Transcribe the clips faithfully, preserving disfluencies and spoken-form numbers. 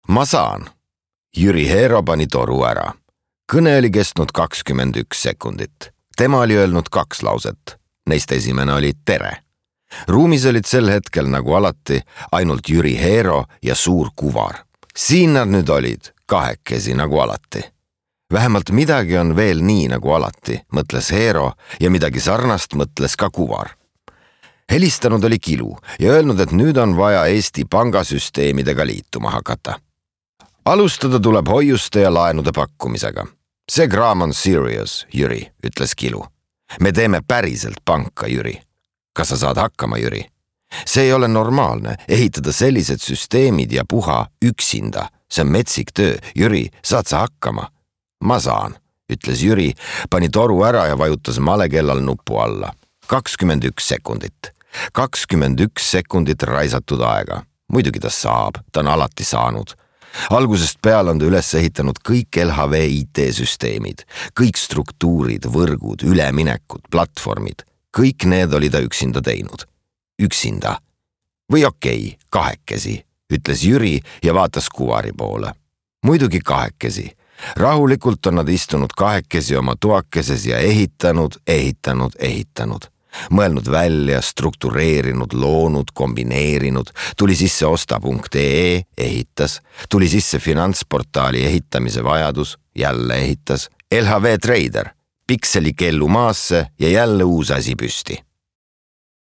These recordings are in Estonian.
Ma saan. Jüri Heero pani toru ära. Kõne oli kestnud kakskümmend üks sekundit. Tema oli öelnud kaks lauset. Neist esimene oli tere. Ruumis olid sel hetkel nagu alati ainult Jüri Heero ja suur kuvar. Siin nad nüüd olid, kahekesi nagu alati. Vähemalt midagi on veel nii nagu alati, mõtles Heero ja midagi sarnast mõtles ka kuvar. Helistanud oli Kilu ja öelnud, et nüüd on vaja Eesti pangasüsteemidega liituma hakata. Alustada tuleb hoiuste ja laenude pakkumisega. See kraam on serious, Jüri, ütles Kilu. Me teeme päriselt panka, Jüri. Kas sa saad hakkama, Jüri? See ei ole normaalne, ehitada sellised süsteemid ja puha üksinda. See on metsik töö. Jüri, saad sa hakkama? Ma saan, ütles Jüri, pani toru ära ja vajutas malekellal nupu alla. kakskümmend üks sekundit. kakskümmend üks sekundit raisatud aega. Muidugi ta saab, ta on alati saanud. Algusest peale on ta üles ehitanud kõik L H V I T-süsteemid, kõik struktuurid, võrgud, üleminekud, platvormid. Kõik need oli ta üksinda teinud. Üksinda. Või okei, kahekesi, ütles Jüri ja vaatas kuvari poole. Muidugi kahekesi. Rahulikult on nad istunud kahekesi oma toakeses ja ehitanud, ehitanud, ehitanud. Mõelnud välja, struktureerinud, loonud, kombineerinud, tuli sisse osta punkt ee, ehitas, tuli sisse finantsportaali ehitamise vajadus, jälle ehitas, L H V Trader, pikseli kellu maasse ja jälle uus asi püsti.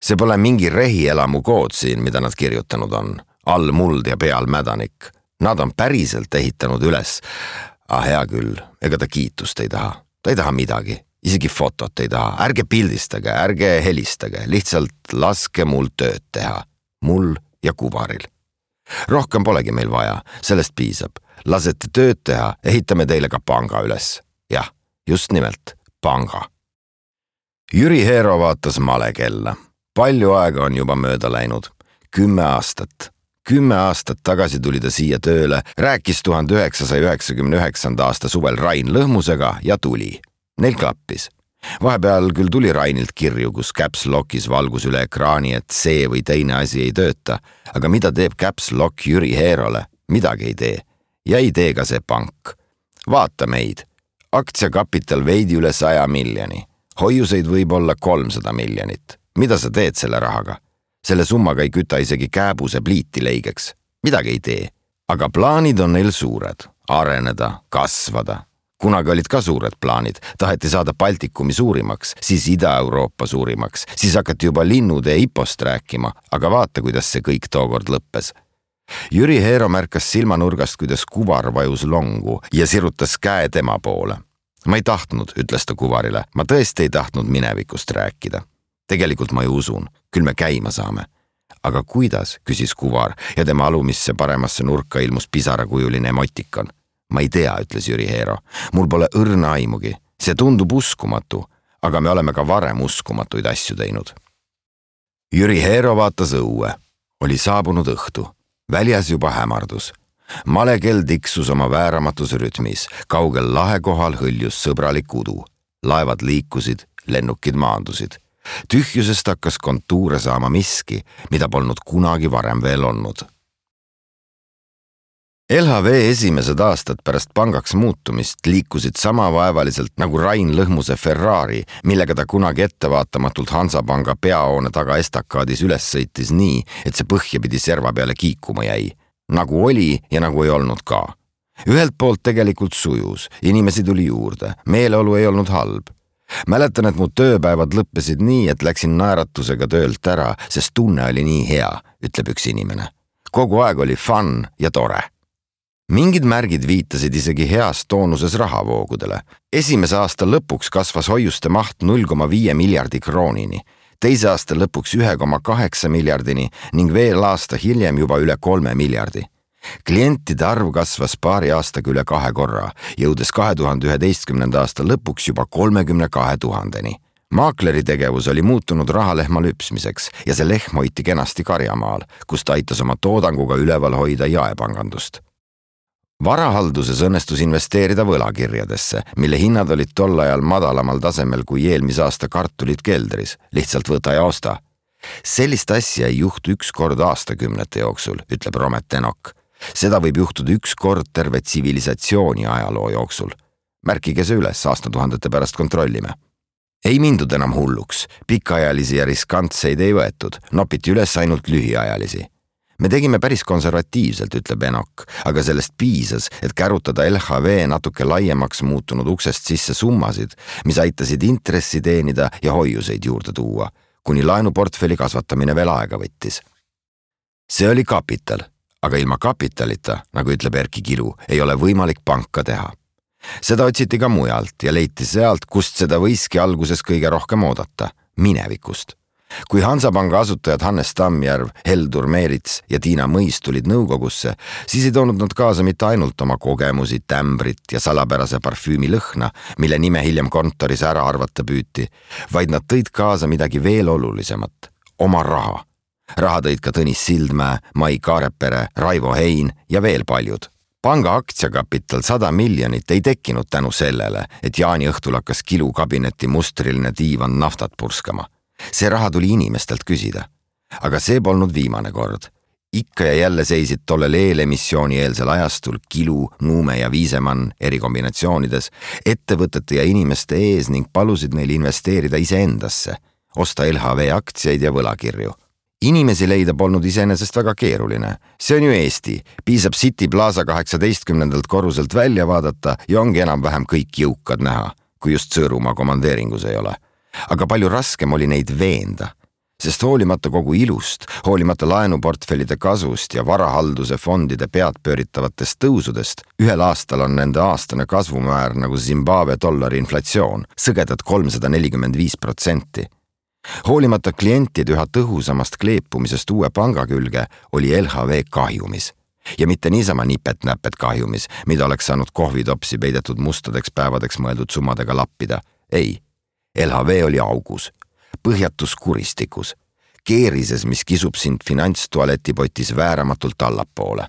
See pole mingi rehielamu kood siin, mida nad kirjutanud on, all muld ja peal mädanik. Nad on päriselt ehitanud üles. Ah, hea küll, ega ta kiitust ei taha, ta ei taha midagi. Isegi fotot ei taha, ärge pildistage, ärge helistage, lihtsalt laske mul tööd teha. Mul ja kuvaril. Rohkem polegi meil vaja, sellest piisab. Lasete tööd teha, ehitame teile ka panga üles. Jah, just nimelt, panga. Jüri Heero vaatas malekella. Palju aega on juba mööda läinud. Kümme aastat. Kümme aastat tagasi tuli ta siia tööle, rääkis tuhande üheksasaja üheksakümne üheksanda aasta suvel Rain Lõhmusega ja tuli. Neil klappis. Vahepeal küll tuli Rainilt kirju, kus Caps Lockis valgus üle ekraani, et see või teine asi ei tööta, aga mida teeb Caps Lock Jüri Heerole? Midagi ei tee. Ja ei tee ka see pank. Vaata meid. Aktsiakapital veidi üle saja miljoni. Hoiuseid võib olla kolmsada miljonit. Mida sa teed selle rahaga? Selle summaga ei küta isegi kääbuse pliiti leigeks. Midagi ei tee. Aga plaanid on neil suured. Areneda, kasvada. Kunagi olid ka suured plaanid, taheti saada Baltikumi suurimaks, siis Ida-Euroopa suurimaks, siis hakati juba linnude ja hipost rääkima, aga vaata, kuidas see kõik tookord lõppes. Jüri Heero märkas silmanurgast, kuidas kuvar vajus longu ja sirutas käe tema poole. Ma ei tahtnud, ütles ta kuvarile, ma tõesti ei tahtnud minevikust rääkida. Tegelikult ma ju usun, küll me käima saame. Aga kuidas, küsis kuvar ja tema alumisse paremasse nurka ilmus pisarakujuline emotikon. Ma ei tea, ütles Jüri Heero. Mul pole õrna aimugi. See tundub uskumatu, aga me oleme ka varem uskumatuid asju teinud. Jüri Heero vaatas õue. Oli saabunud õhtu. Väljas juba hämardus. Malekell tiksus oma vääramatus rütmis. Kaugel lahekohal hõljus sõbralik udu. Laevad liikusid, lennukid maandusid. Tühjusest hakkas kontuure saama miski, mida polnud kunagi varem veel olnud. L H V esimesed aastad pärast pangaks muutumist liikusid sama vaevaliselt nagu Rain Lõhmuse Ferrari, millega ta kunagi ettevaatamatult Hansapanga peahoone taga estakaadis üles sõitis nii, et see põhja pidi serva peale kiikuma jäi. Nagu oli ja nagu ei olnud ka. Ühelt poolt tegelikult sujus, inimesi tuli juurde, meeleolu ei olnud halb. Mäletan, et mu tööpäevad lõppesid nii, et läksin naeratusega töölt ära, sest tunne oli nii hea, ütleb üks inimene. Kogu aeg oli fun ja tore. Mingid märgid viitasid isegi heas toonuses rahavoogudele. Esimese aasta lõpuks kasvas hoiuste maht null koma viis miljardi kroonini, teise aasta lõpuks üks koma kaheksa miljardini ning veel aasta hiljem juba üle kolme miljardi. Klientide arv kasvas paari aastaga üle kahe korra, jõudes kahe tuhande üheteistkümnenda aasta lõpuks juba kolmekümne kahe tuhandeni. Maakleri tegevus oli muutunud rahalehma lüpsmiseks ja see lehm hoiti kenasti Karjamaal, kus ta aitas oma toodanguga üleval hoida jaepangandust. Varahalduses õnnestus investeerida võlakirjadesse, mille hinnad olid tol ajal madalamal tasemel kui eelmise aasta kartulid keldris, lihtsalt võta ja osta. Sellist asja ei juhtu üks kord aastakümnete jooksul, ütleb Romet Enok. Seda võib juhtuda üks kord terve tsivilisatsiooni ajaloo jooksul. Märkige see üles, aastatuhandete pärast kontrollime. Ei mindud enam hulluks, pikaajalisi ja riskantseid ei võetud, nopiti üles ainult lühiajalisi. Me tegime päris konservatiivselt, ütleb Enok, aga sellest piisas, et kärutada L H V natuke laiemaks muutunud uksest sisse summasid, mis aitasid intressi teenida ja hoiuseid juurde tuua, kuni laenuportfelli kasvatamine veel aega võttis. See oli kapital, aga ilma kapitalita, nagu ütleb Erki Kilu, ei ole võimalik panka teha. Seda otsiti ka mujalt ja leiti sealt, kust seda võiski alguses kõige rohkem oodata, minevikust. Kui Hansapanga asutajad Hannes Tammjärv, Heldur Meerits ja Tiina Mõis tulid nõukogusse, siis ei toonud nad kaasa mitte ainult oma kogemusi, tämbrit ja salapärase parfüümi lõhna, mille nime hiljem kontoris ära arvata püüti, vaid nad tõid kaasa midagi veel olulisemat, oma raha. Raha tõid ka Tõnis Sildmäe, Mai Kaarepere, Raivo Hein ja veel paljud. Panga aktsiakapital sada miljonit ei tekkinud tänu sellele, et Jaani õhtul hakkas Kilu kabineti mustriline diivan naftat purskama. See raha tuli inimestelt küsida. Aga see polnud viimane kord. Ikka ja jälle seisid tollel eelemissiooni eelsel ajastul Kilu, Nuume ja Viisemann erikombinatsioonides ettevõtete ja inimeste ees ning palusid neil investeerida iseendasse, osta L H V aktsiaid ja võlakirju. Inimesi leida polnud iseenesest väga keeruline. See on ju Eesti. Piisab City Plaza kaheksateistkümnendalt korruselt välja vaadata ja ongi enam-vähem kõik jõukad näha, kui just Sõõrumaa komandeeringus ei ole. Aga palju raskem oli neid veenda, sest hoolimata kogu ilust, hoolimata laenuportfellide kasvust ja varahalduse fondide pead pööritavatest tõusudest, ühel aastal on nende aastane kasvumäär nagu Zimbabwe dollari inflatsioon, sõgedad kolmsada nelikümmend viis protsenti. Hoolimata klientide üha tõhusamast kleepumisest uue panga külge oli L H V kahjumis. Ja mitte niisama nipet-näpet kahjumis, mida oleks saanud kohvitopsi peidetud mustadeks päevadeks mõeldud summadega lappida. Ei, L H V oli augus, põhjatus kuristikus, keerises, mis kisub sind finantstualetipotis vääramatult allapoole.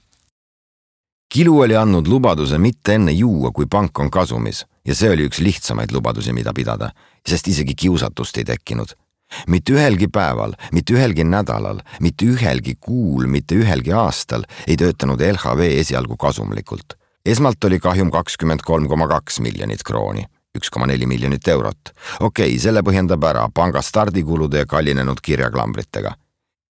Kilu oli andnud lubaduse mitte enne juua, kui pank on kasumis, ja see oli üks lihtsamaid lubadusi, mida pidada, sest isegi kiusatust ei tekkinud. Mitte ühelgi päeval, mitte ühelgi nädalal, mitte ühelgi kuul, mitte ühelgi aastal ei töötanud L H V esialgu kasumlikult. Esmalt oli kahjum kakskümmend kolm koma kaks miljonit krooni, üks koma neli miljonit eurot. Okei, selle põhjendab ära panga stardikulude ja kallinenud kirjaklambritega.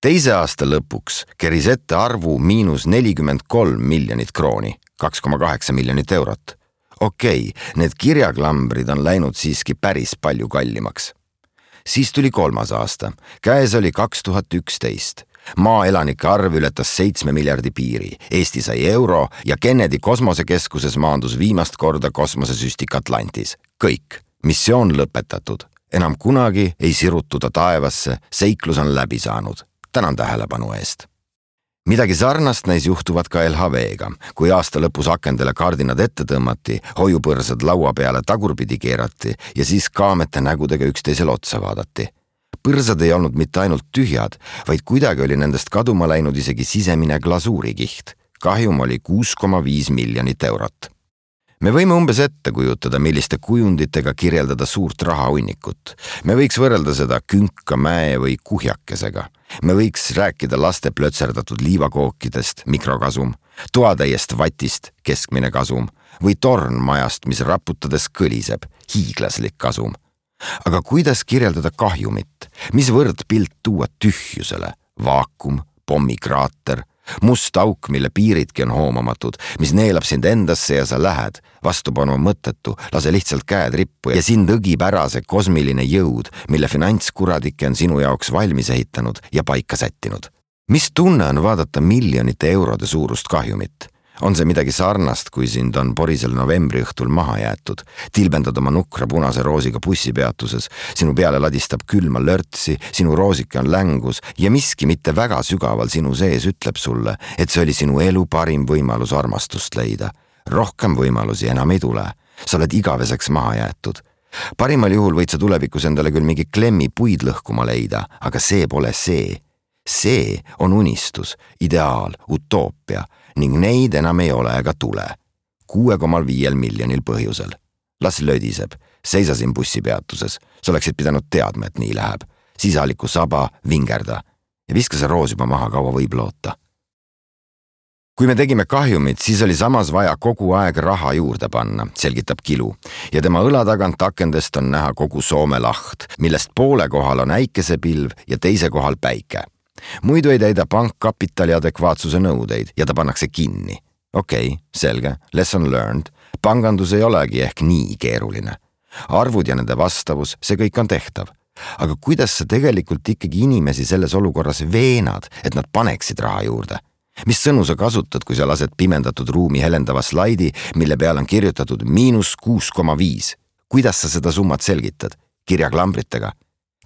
Teise aasta lõpuks keris ette arvu miinus nelikümmend kolm miljonit krooni, kaks koma kaheksa miljonit eurot. Okei, need kirjaklambrid on läinud siiski päris palju kallimaks. Siis tuli kolmas aasta. Käes oli kaks tuhat üksteist. Maaelanike arv ületas seitsme miljardi piiri. Eesti sai euro ja Kennedy kosmosekeskuses maandus viimast korda kosmosesüstik Atlantis. Kõik. Missioon lõpetatud. Enam kunagi ei sirutuda taevasse, seiklus on läbi saanud. Tänan tähelepanu eest. Midagi sarnast näis juhtuvat ka L H V-ga, kui aasta lõpus akendele kardinad ette tõmmati, hoiupõrsad laua peale tagurpidi keerati ja siis kaamete nägudega üksteisel otsa vaadati. Põrsad ei olnud mitte ainult tühjad, vaid kuidagi oli nendest kaduma läinud isegi sisemine glasuurikiht. Kahjum oli kuus koma viis miljonit eurot. Me võime umbes ette kujutada, milliste kujunditega kirjeldada suurt rahahunnikut. Me võiks võrrelda seda künka, mäe või kuhjakesega. Me võiks rääkida laste plötserdatud liivakookidest, mikrokasum, toatäiest vatist, keskmine kasum, või tornmajast, mis raputades kõliseb, hiiglaslik kasum. Aga kuidas kirjeldada kahjumit? Mis võrdpilt tuua tühjusele? Vaakum, pommikraater, must auk, mille piiridki on hoomamatud, mis neelab sind endasse ja sa lähed, vastupanu mõttetu, lase lihtsalt käed rippu ja sind õgib ära see kosmiline jõud, mille finantskuradike on sinu jaoks valmis ehitanud ja paika sättinud. Mis tunne on vaadata miljonite eurode suurust kahjumit? On see midagi sarnast, kui sind on porisel novembri õhtul maha jäetud, tilbendad oma nukra punase roosiga bussipeatuses, sinu peale ladistab külma lörtsi, sinu roosike on längus ja miski mitte väga sügaval sinu sees ütleb sulle, et see oli sinu elu parim võimalus armastust leida. Rohkem võimalusi enam ei tule. Sa oled igaveseks maha jäetud. Parimal juhul võid sa tulevikus endale küll mingi klemmi puid lõhkuma leida, aga see pole see. See on unistus, ideaal, utoopia ning neid enam ei ole ega tule. kuue koma viis miljonil põhjusel. Las lödiseb, seisa siin bussipeatuses. Sa oleksid pidanud teadma, et nii läheb. Sisaliku saba, vingerda ja viska see roos juba maha, kaua võib loota. kui me tegime kahjumit, siis oli samas vaja kogu aeg raha juurde panna, selgitab Kilu. Ja tema õla tagant akendest on näha kogu Soome laht, millest poole kohal on äikesepilv ja teise kohal päike. Muidu ei täida pank kapitali adekvaatsuse nõudeid ja ta pannakse kinni. Okei, okay, selge, lesson learned. Pangandus ei olegi ehk nii keeruline. Arvud ja nende vastavus, see kõik on tehtav. Aga kuidas sa tegelikult ikkagi inimesi selles olukorras veenad, et nad paneksid raha juurde? Mis sõnu sa kasutad, kui sa lased pimendatud ruumi helendava slaidi, mille peal on kirjutatud miinus kuus koma viis? Kuidas sa seda summat selgitad? Kirjaklambritega?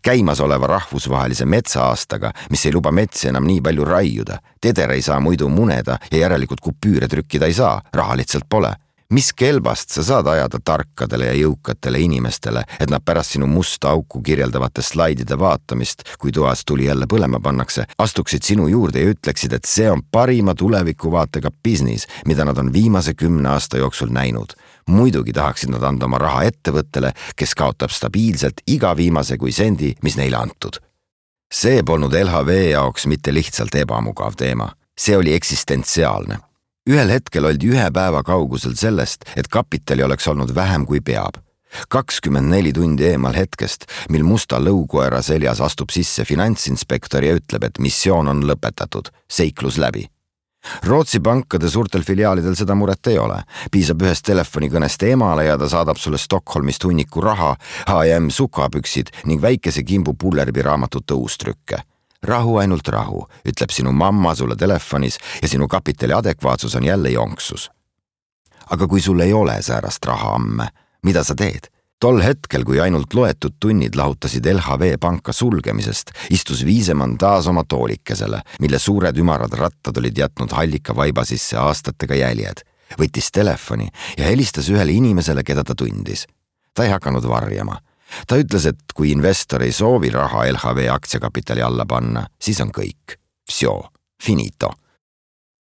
Käimas oleva rahvusvahelise metsaaastaga, mis ei luba metsi enam nii palju raiuda. Teder ei saa muidu muneda ja järelikult kupüüre trükkida ei saa, raha lihtsalt pole. Mis kelbast sa saad ajada tarkadele ja jõukatele inimestele, et nad pärast sinu musta auku kirjeldavate slaidide vaatamist, kui toas tuli jälle põlema pannakse, astuksid sinu juurde ja ütleksid, et see on parima tulevikuvaatega business, mida nad on viimase kümne aasta jooksul näinud. Muidugi tahaksid nad anda oma raha ettevõttele, kes kaotab stabiilselt iga viimase kui sendi, mis neile antud. See polnud L H V jaoks mitte lihtsalt ebamugav teema. See oli eksistentsiaalne. Ühel hetkel oldi ühe päeva kaugusel sellest, et kapitali oleks olnud vähem kui peab. kakskümmend neli tundi eemal hetkest, mil musta lõukoera seljas astub sisse finantsinspektor ja ütleb, et missioon on lõpetatud, seiklus läbi. Rootsi pankade suurtel filiaalidel seda muret ei ole. Piisab ühest telefonikõnest emale ja ta saadab sulle Stockholmist hunniku raha, H ja M sukapüksid ning väikese kimbu Pullerbi raamatute uustrükke. Rahu ainult rahu, ütleb sinu mamma sulle telefonis ja sinu kapitali adekvaatsus on jälle jonksus. Aga kui sul ei ole säärast raha amme, mida sa teed? Tol hetkel, kui ainult loetud tunnid lahutasid L H V panka sulgemisest, istus Viisemann taas oma toolikesele, mille suured ümarad rattad olid jätnud hallika vaiba sisse aastatega jäljed. Võttis telefoni ja helistas ühele inimesele, keda ta tundis. Ta ei hakanud varjama. Ta ütles, et kui investor ei soovi raha L H V aktsiakapitali alla panna, siis on kõik. Vsjo, finito.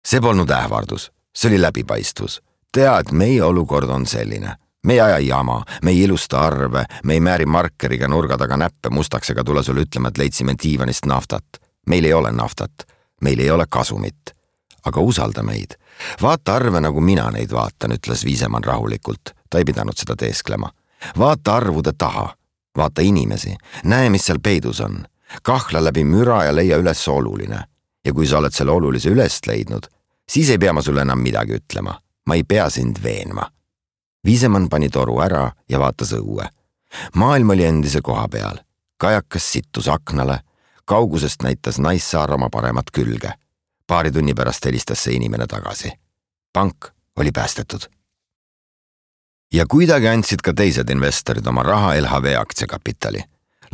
See polnud ähvardus, see oli läbipaistvus. Tea, et meie olukord on selline. Me ei aja jama, me ei ilusta arve, me ei määri markeriga nurga taga näppe mustaks ega tule sulle ütlema, et leidsime diivanist naftat. Meil ei ole naftat, meil ei ole kasumit. Aga usalda meid. Vaata arve, nagu mina neid vaatan, ütles Viisemann rahulikult. Ta ei pidanud seda teesklema. Vaata arvude taha. Vaata inimesi, näe, mis seal peidus on. Kahla läbi müra ja leia üles oluline. Ja kui sa oled selle olulise ülest leidnud, siis ei pea ma sulle enam midagi ütlema. Ma ei pea sind veenma. Viisemann pani toru ära ja vaatas õue. Maailm oli endise koha peal. Kajakas sittus aknale. Kaugusest näitas naissaar oma paremat külge. Paari tunni pärast helistas see inimene tagasi. Pank oli päästetud. Ja kuidagi andsid ka teised investorid oma raha L H V aktsiakapitali.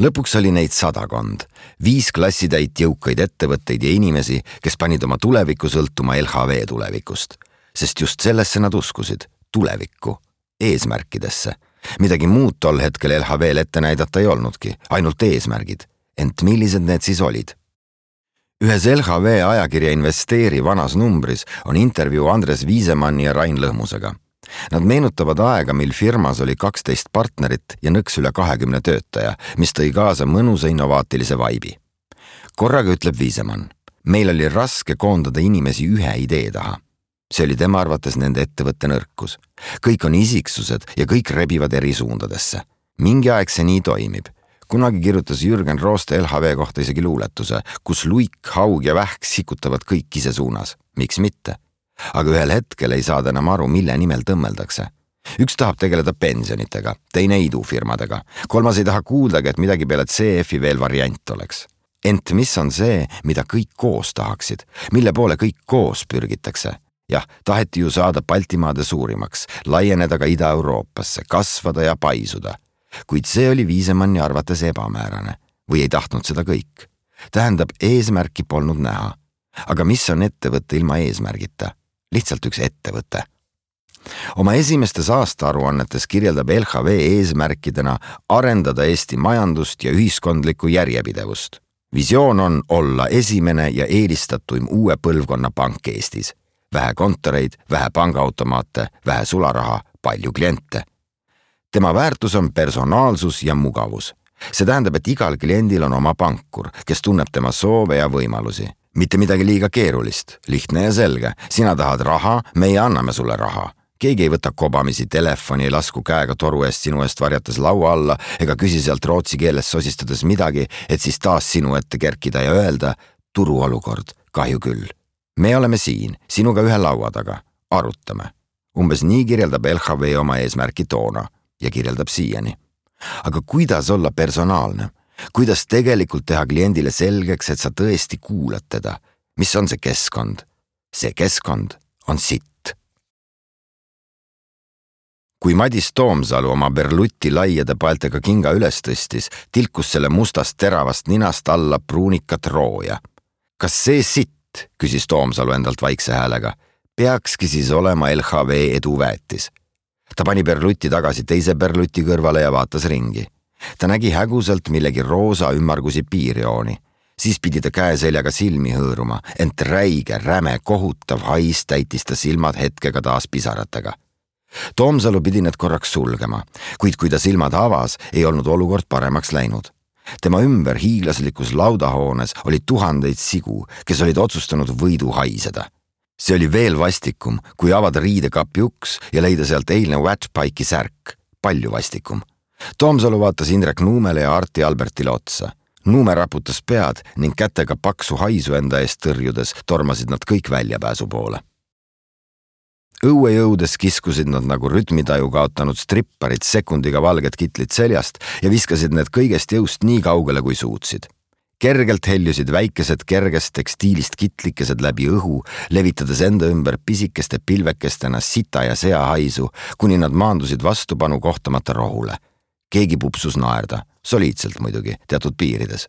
Lõpuks oli neid sadakond, viis klassitäit jõukaid ettevõtteid ja inimesi, kes panid oma tuleviku sõltuma L H V tulevikust. Sest just sellesse nad uskusid, tulevikku, eesmärkidesse. Midagi muud tol hetkel L H V-l ette näidata ei olnudki, ainult eesmärgid. Ent millised need siis olid? Ühes L H V ajakirja Investeeri vanas numbris on intervjuu Andres Viisemanni ja Rain Lõhmusega. Nad meenutavad aega, mil firmas oli kaksteist partnerit ja nõks üle kahekümne töötaja, mis tõi kaasa mõnusa innovaatilise vaibi. Korraga ütleb Viisemann, meil oli raske koondada inimesi ühe idee taha. See oli tema arvates nende ettevõtte nõrkus. Kõik on isiksused ja kõik rebivad eri suundadesse. Mingi aeg see nii toimib. Kunagi kirjutas Jürgen Rooste L H V kohta isegi luuletuse, kus luik, haug ja vähk sikutavad kõik ise suunas. Miks mitte? Aga ühel hetkel ei saada enam aru, mille nimel tõmmeldakse. Üks tahab tegeleda pensionitega, teine idufirmadega. Kolmas ei taha kuuldagi, et midagi peale C F-i veel variant oleks. Ent mis on see, mida kõik koos tahaksid? Mille poole kõik koos pürgitakse? Jah, taheti ju saada Baltimaade suurimaks, laieneda ka Ida-Euroopasse, kasvada ja paisuda. Kuid see oli Viisemanni arvates ebamäärane. Või ei tahtnud seda kõik. Tähendab, eesmärki polnud näha. Aga mis on ettevõtte ilma eesmärgita? Lihtsalt üks ettevõte. Oma esimestes aastaaruannetes kirjeldab L H V eesmärkidena arendada Eesti majandust ja ühiskondlikku järjepidevust. Visioon on olla esimene ja eelistatuim uue põlvkonna pank Eestis. Vähe kontoreid, vähe pangaautomaate, vähe sularaha, palju kliente. Tema väärtus on personaalsus ja mugavus. See tähendab, et igal kliendil on oma pankur, kes tunneb tema soove ja võimalusi. Mitte midagi liiga keerulist, lihtne ja selge. Sina tahad raha, meie anname sulle raha. Keegi ei võta kobamisi telefoni, ei lasku käega toru eest sinu eest varjates laua alla ega küsi sealt rootsi keeles sosistades midagi, et siis taas sinu ette kerkida ja öelda turuolukord, kahju küll. Me oleme siin, sinuga ühe laua taga, arutame. Umbes nii kirjeldab L H V oma eesmärki toona ja kirjeldab siiani. Aga kuidas olla personaalne? Kuidas tegelikult teha kliendile selgeks, et sa tõesti kuulad teda? Mis on see keskkond? See keskkond on sitt. Kui Madis Toomsalu oma Berluti laiade paeltega kinga üles tõstis, tilkus selle mustast teravast ninast alla pruunikat rooja. Kas see sitt, küsis Toomsalu endalt vaikse häälega, peakski siis olema L H V eduväetis? Ta pani Berluti tagasi teise Berluti kõrvale ja vaatas ringi. Ta nägi häguselt millegi roosa ümmargusi piirjooni. Siis pidi ta käeseljaga silmi hõõruma, ent räige, räme, kohutav hais täitis ta silmad hetkega taas pisaratega. Toomsalu pidi need korraks sulgema, kuid kui ta silmad avas, ei olnud olukord paremaks läinud. Tema ümber hiiglaslikus laudahoones oli tuhandeid sigu, kes olid otsustanud võidu haiseda. See oli veel vastikum, kui avada riidekapi uks ja leida sealt eilne Watchpike'i särk. Palju vastikum. Toomsalu vaatas Indrek Nuumele ja Arti Albertile otsa. Nuume raputas pead ning kätega paksu haisu enda eest tõrjudes tormasid nad kõik väljapääsu poole. Õue jõudes kiskusid nad nagu rütmitaju kaotanud stripparid sekundiga valged kitlid seljast ja viskasid need kõigest jõust nii kaugele kui suutsid. Kergelt heljusid väikesed kergest tekstiilist kitlikesed läbi õhu, levitades enda ümber pisikeste pilvekestena sita ja sea haisu, kuni nad maandusid vastupanu kohtamata rohule. Keegi pupsus naerda, soliidselt muidugi, teatud piirides.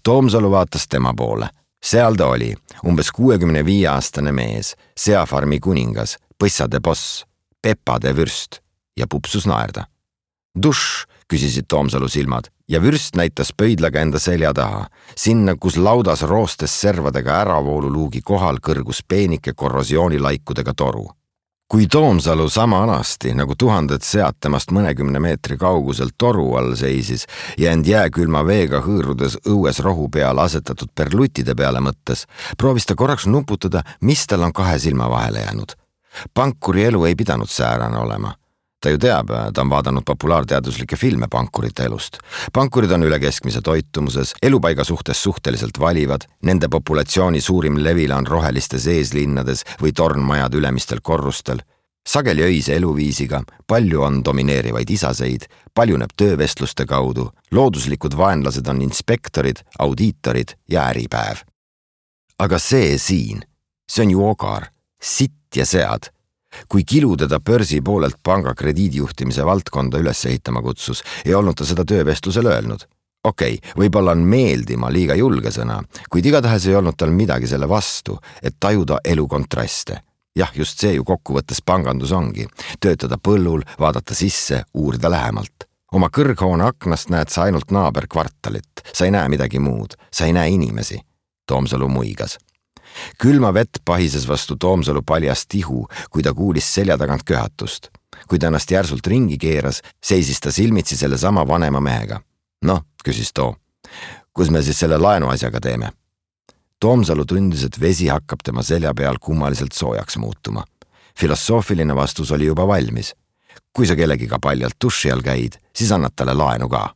Toomsalu vaatas tema poole. Seal ta oli, umbes kuuekümne viie aastane mees, seafarmi kuningas, põssade boss, pepade vürst ja pupsus naerda. Duš, küsisid Toomsalu silmad ja vürst näitas pöidlaga enda selja taha, sinna, kus laudas roostes servadega äravooluluugi kohal kõrgus peenike korrosioonilaikudega toru. Kui Toomsalu sama alasti, nagu tuhanded sead temast mõnekümne meetri kauguselt toru all seisis ja end jääkülma veega hõõrudes õues rohu peal asetatud perlutide peale mõttes, proovis ta korraks nuputada, mis tal on kahe silma vahele jäänud. Pankuri elu ei pidanud säärane olema. Ta ju teab, ta on vaadanud populaarteaduslikke filme pankurite elust. Pankurid on üle keskmise toitumuses, elupaiga suhtes suhteliselt valivad, nende populatsiooni suurim levila on rohelistes eeslinnades või tornmajad ülemistel korrustel. Sageli öise eluviisiga, palju on domineerivaid isaseid, paljuneb töövestluste kaudu, looduslikud vaenlased on inspektorid, audiitorid ja äripäev. Aga see siin, see on ju ogar, sitt ja sead. Kui Kilu teda börsi poolelt panga krediidijuhtimise valdkonda üles ehitama kutsus, ei olnud ta seda töövestlusel öelnud. Okei, võib-olla on meeldima liiga julge sõna, kuid igatahes ei olnud tal midagi selle vastu, et tajuda elu kontraste. Jah, just see ju kokkuvõttes pangandus ongi. Töötada põllul, vaadata sisse, uurida lähemalt. Oma kõrghoone aknast näed sa ainult naaberkvartalit. Sa ei näe midagi muud. Sa ei näe inimesi. Toomsalu muigas. Külma vett pahises vastu Toomsalu paljast tihu, kui ta kuulis selja tagant köhatust. Kui ta ennast järsult ringi keeras, seisis ta silmitsi selle sama vanema mehega. Noh, küsis too. Kus me siis selle laenu asjaga teeme? Toomsalu tundis, et vesi hakkab tema selja peal kummaliselt soojaks muutuma. Filosoofiline vastus oli juba valmis. Kui sa kellegiga paljalt duši all käid, siis annad talle laenu ka.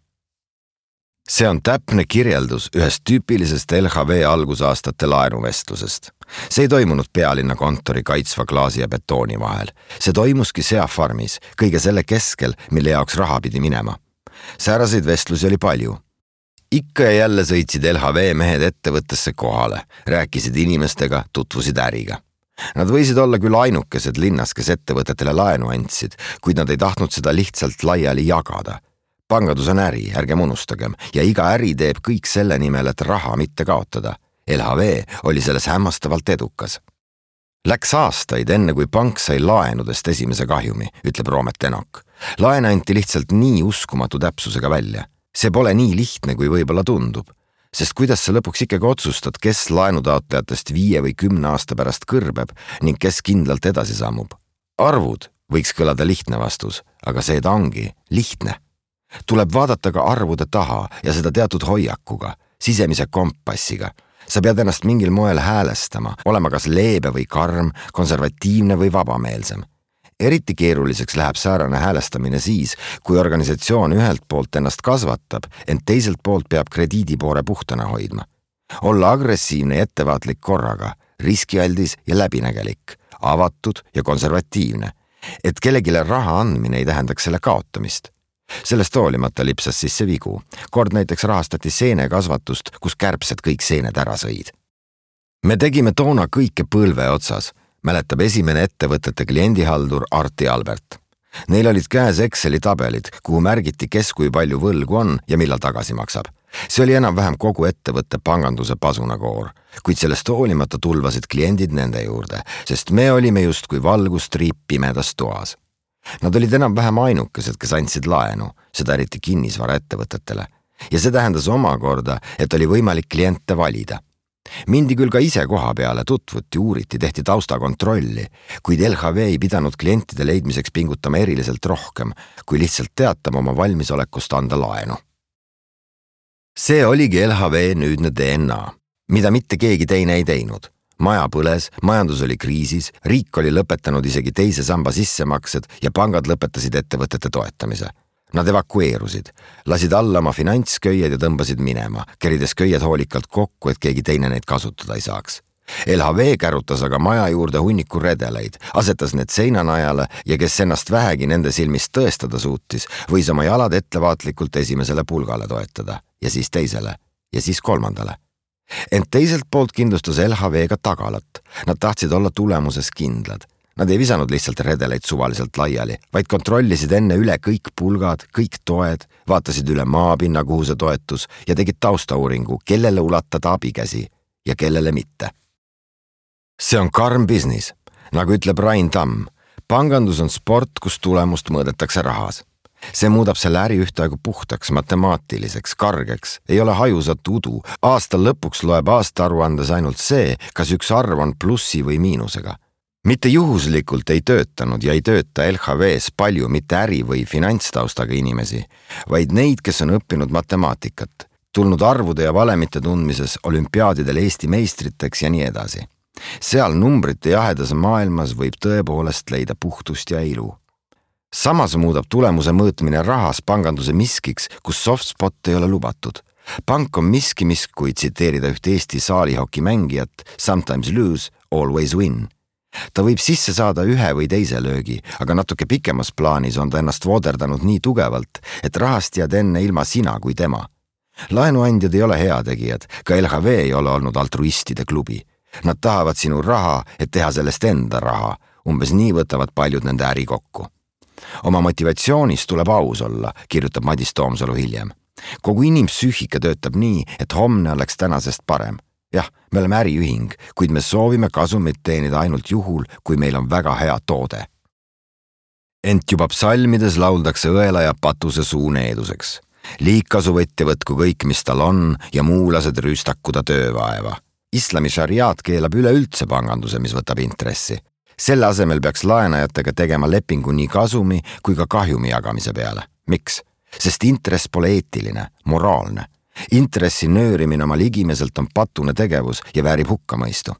See on täpne kirjeldus ühest tüüpilisest L H V algusaastate laenuvestlusest. See ei toimunud pealinna kontori kaitsva klaasi ja betooni vahel. See toimuski seafarmis, kõige selle keskel, mille jaoks raha pidi minema. Sääraseid vestlusi oli palju. Ikka ja jälle sõitsid L H V mehed ettevõttesse kohale, rääkisid inimestega, tutvusid äriga. Nad võisid olla küll ainukesed linnas, kes ettevõtetele laenu andsid, kuid nad ei tahtnud seda lihtsalt laiali jagada. Pangandus on äri, ärgem unustagem, ja iga äri teeb kõik selle nimel, et raha mitte kaotada. L H V oli selles hämmastavalt edukas. Läks aastaid enne, kui pank sai laenudest esimese kahjumi, ütleb Roomet Enok. Laen anti lihtsalt nii uskumatu täpsusega välja. See pole nii lihtne, kui võib-olla tundub. Sest kuidas sa lõpuks ikkagi otsustad, kes laenutaotlejatest viie või kümne aasta pärast kõrbeb ning kes kindlalt edasi sammub? Arvud võiks kõlada lihtne vastus, aga see ta ongi lihtne. Tuleb vaadata ka arvude taha ja seda teatud hoiakuga, sisemise kompassiga. sa pead ennast mingil moel häälestama, olema kas leebe või karm, konservatiivne või vabameelsem. Eriti keeruliseks läheb säärane häälestamine siis, kui organisatsioon ühelt poolt ennast kasvatab, ent teiselt poolt peab krediidipoore puhtana hoidma. Olla agressiivne ja ettevaatlik korraga, riskialdis ja läbinägelik, avatud ja konservatiivne, et kellegile raha andmine ei tähendaks selle kaotamist. Sellest hoolimata lipsas sisse vigu. Kord näiteks rahastati seenekasvatust, kus kärbsed kõik seened ära sõid. Me tegime toona kõike põlve otsas, mäletab esimene ettevõtete kliendihaldur Arti Albert. Neil olid käes Exceli tabelid, kuhu märgiti, kes kui palju võlgu on ja millal tagasi maksab. See oli enam-vähem kogu ettevõtte panganduse pasunakoor, kuid sellest hoolimata tulvasid kliendid nende juurde, sest me olime justkui valgustriip pimedas toas. Nad olid enam-vähem ainukesed, kes andsid laenu, seda eriti kinnisvara ettevõtetele. Ja see tähendas omakorda, et oli võimalik kliente valida. Mindi küll ka ise koha peale, tutvuti, uuriti, tehti taustakontrolli, kuid L H V ei pidanud klientide leidmiseks pingutama eriliselt rohkem, kui lihtsalt teatama oma valmisolekust anda laenu. See oligi L H V nüüdne D N A, mida mitte keegi teine ei teinud. Maja põles, majandus oli kriisis, riik oli lõpetanud isegi teise samba sissemaksed ja pangad lõpetasid ettevõtete toetamise. Nad evakueerusid, lasid alla oma finantsköied ja tõmbasid minema, kerides köied hoolikalt kokku, et keegi teine neid kasutada ei saaks. L H V kärutas aga maja juurde hunniku redeleid, asetas need seinanajale ja kes ennast vähegi nende silmist tõestada suutis, võis oma jalad ettevaatlikult esimesele pulgale toetada ja siis teisele ja siis kolmandale. Ent teiselt poolt kindlustas L H V ka tagalat. Nad tahtsid olla tulemuses kindlad. Nad ei visanud lihtsalt redeleid suvaliselt laiali, vaid kontrollisid enne üle kõik pulgad, kõik toed, vaatasid üle maapinna, kuhu see toetus ja tegid taustauuringu, kellele ulatada abikäsi ja kellele mitte. See on karm business, nagu ütleb Rain Tamm. Pangandus on sport, kus tulemust mõõdetakse rahas. See muudab selle äri ühtaegu puhtaks, matemaatiliseks, kargeks, ei ole hajusat udu. Aastal lõpuks loeb aastaaruandes ainult see, kas üks arv on plussi või miinusega. Mitte juhuslikult ei töötanud ja ei tööta L H V-s palju mitte äri- või finantstaustaga inimesi, vaid neid, kes on õppinud matemaatikat, tulnud arvude ja valemite tundmises olümpiaadidel Eesti meistriteks ja nii edasi. Seal numbrite jahedas maailmas võib tõepoolest leida puhtust ja ilu. Samas muudab tulemuse mõõtmine rahas panganduse miskiks, kus softspot ei ole lubatud. Pank on miski, mis, kui tsiteerida üht Eesti saalihoki mängijat, sometimes lose, always win. Ta võib sisse saada ühe või teise löögi, aga natuke pikemas plaanis on ta ennast vooderdanud nii tugevalt, et rahast jääd enne ilma sina kui tema. Laenuandjad ei ole heategijad, ka L H V ei ole olnud altruistide klubi. Nad tahavad sinu raha, et teha sellest enda raha. Umbes nii võtavad paljud nende äri kokku. Oma motivatsioonis tuleb aus olla, kirjutab Madis Toomsalu hiljem. Kogu inimpsüühika töötab nii, et homne oleks tänasest parem. Jah, me oleme äriühing, kuid me soovime kasumit teenida ainult juhul, kui meil on väga hea toode. Ent juba psalmides lauldakse õela ja patuse suu needuseks. Liigkasuvõtja võtku kõik, mis tal on, ja muulased rüüstakuda töövaeva. Islami šariaat keelab üleüldse panganduse, mis võtab intressi. Selle asemel peaks laenajatega tegema lepingu nii kasumi kui ka kahjumi jagamise peale. Miks? Sest intress pole eetiline, moraalne. Intressi nöörimine oma ligimeselt on patune tegevus ja väärib hukkamõistu.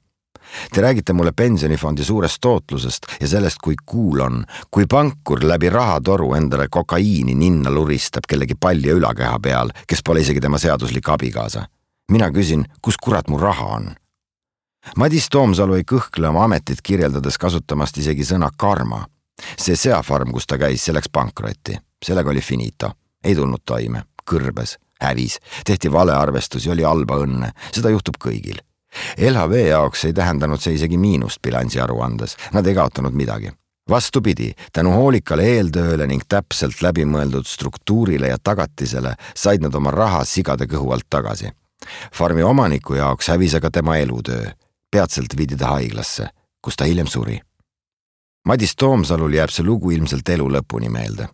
Te räägite mulle pensionifondi suurest tootlusest ja sellest, kui kuul on, kui pankur läbi rahatoru endale kokaiini ninna luristab kellegi palja ülakeha peal, kes pole isegi tema seaduslik abikaasa. Mina küsin, kus kurat mu raha on? Madis Toomsalu ei kõhkle oma ametit kirjeldades kasutamast isegi sõna karma. See seafarm, kus ta käis, selleks pankrotti. Sellega oli finito. Ei tulnud toime. Kõrbes, hävis, tehti valearvestus ja oli halba õnne. Seda juhtub kõigil. L H V jaoks ei tähendanud see isegi miinust bilansi aruandes. Nad ei kaotanud midagi. Vastupidi, tänu hoolikale eeltööle ning täpselt läbimõeldud struktuurile ja tagatisele said nad oma raha sigade kõhu alt tagasi. Farmi omaniku jaoks hävis aga tema elutöö. Peatselt viidi ta haiglasse, kus ta hiljem suri. Madis Toomsalul jääb see lugu ilmselt elu lõpuni meelde.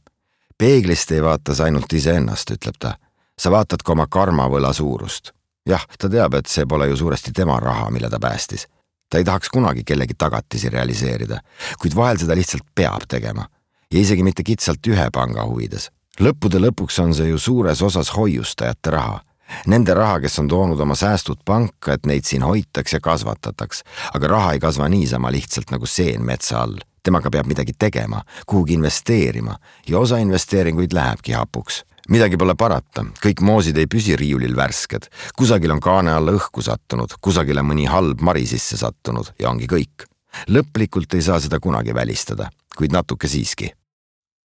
Peeglist ei vaata sa ainult ise ennast, ütleb ta. Sa vaatad ka oma karmavõla suurust. Jah, ta teab, et see pole ju suuresti tema raha, mille ta päästis. Ta ei tahaks kunagi kellegi tagatisi realiseerida, kuid vahel seda lihtsalt peab tegema. Ja isegi mitte kitsalt ühe panga huvides. Lõppude lõpuks on see ju suures osas hoiustajate raha. Nende raha, kes on toonud oma säästud panka, et neid siin hoitaks ja kasvatataks, aga raha ei kasva niisama lihtsalt nagu seen metsa all. Temaga peab midagi tegema, kuhugi investeerima ja osa investeeringuid lähebki hapuks. Midagi pole parata, kõik moosid ei püsi riiulil värsked, kusagil on kaane alla õhku sattunud, kusagil on mõni halb mari sisse sattunud ja ongi kõik. Lõplikult ei saa seda kunagi välistada, kuid natuke siiski.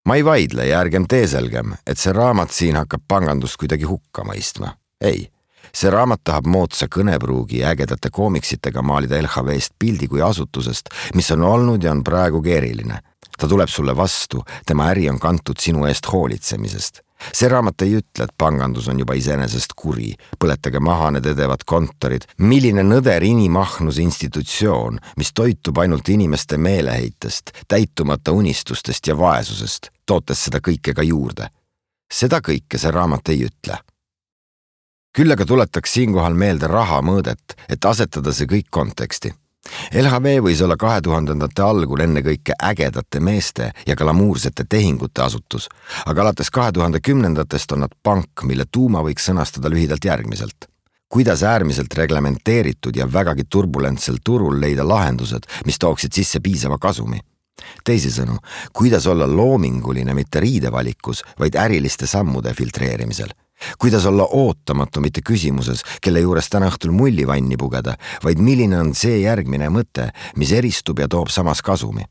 Ma ei vaidle ja ärgem teeselgem, et see raamat siin hakkab pangandust kuidagi hukka mõistma. Ei, see raamat tahab moodsa kõnepruugi ja ägedate koomiksitega maalida L H V-st pildi kui asutusest, mis on olnud ja on praegu keeriline. Ta tuleb sulle vastu, tema äri on kantud sinu eest hoolitsemisest. See raamat ei ütle, et pangandus on juba iseenesest kuri, põletage maha need edevad kontorid, milline nõder inimahnus institutsioon, mis toitub ainult inimeste meeleheitest, täitumata unistustest ja vaesusest, tootes seda kõike ka juurde. Seda kõike see raamat ei ütle. Küll aga tuletaks siinkohal meelde raha mõõdet, et asetada see kõik konteksti. L H V võis olla kahe tuhandendate algul enne kõike ägedate meeste ja glamuursete tehingute asutus, aga alates kahe tuhande kümnendatest on nad pank, mille tuuma võiks sõnastada lühidalt järgmiselt. Kuidas äärmiselt reglementeeritud ja vägagi turbulentsel turul leida lahendused, mis tooksid sisse piisava kasumi? Teisisõnu, kuidas olla loominguline mitte riidevalikus, vaid äriliste sammude filtreerimisel? Kuidas olla ootamatu mitte küsimuses, kelle juures täna õhtul mullivanni pugeda, vaid milline on see järgmine mõte, mis eristub ja toob samas kasumi?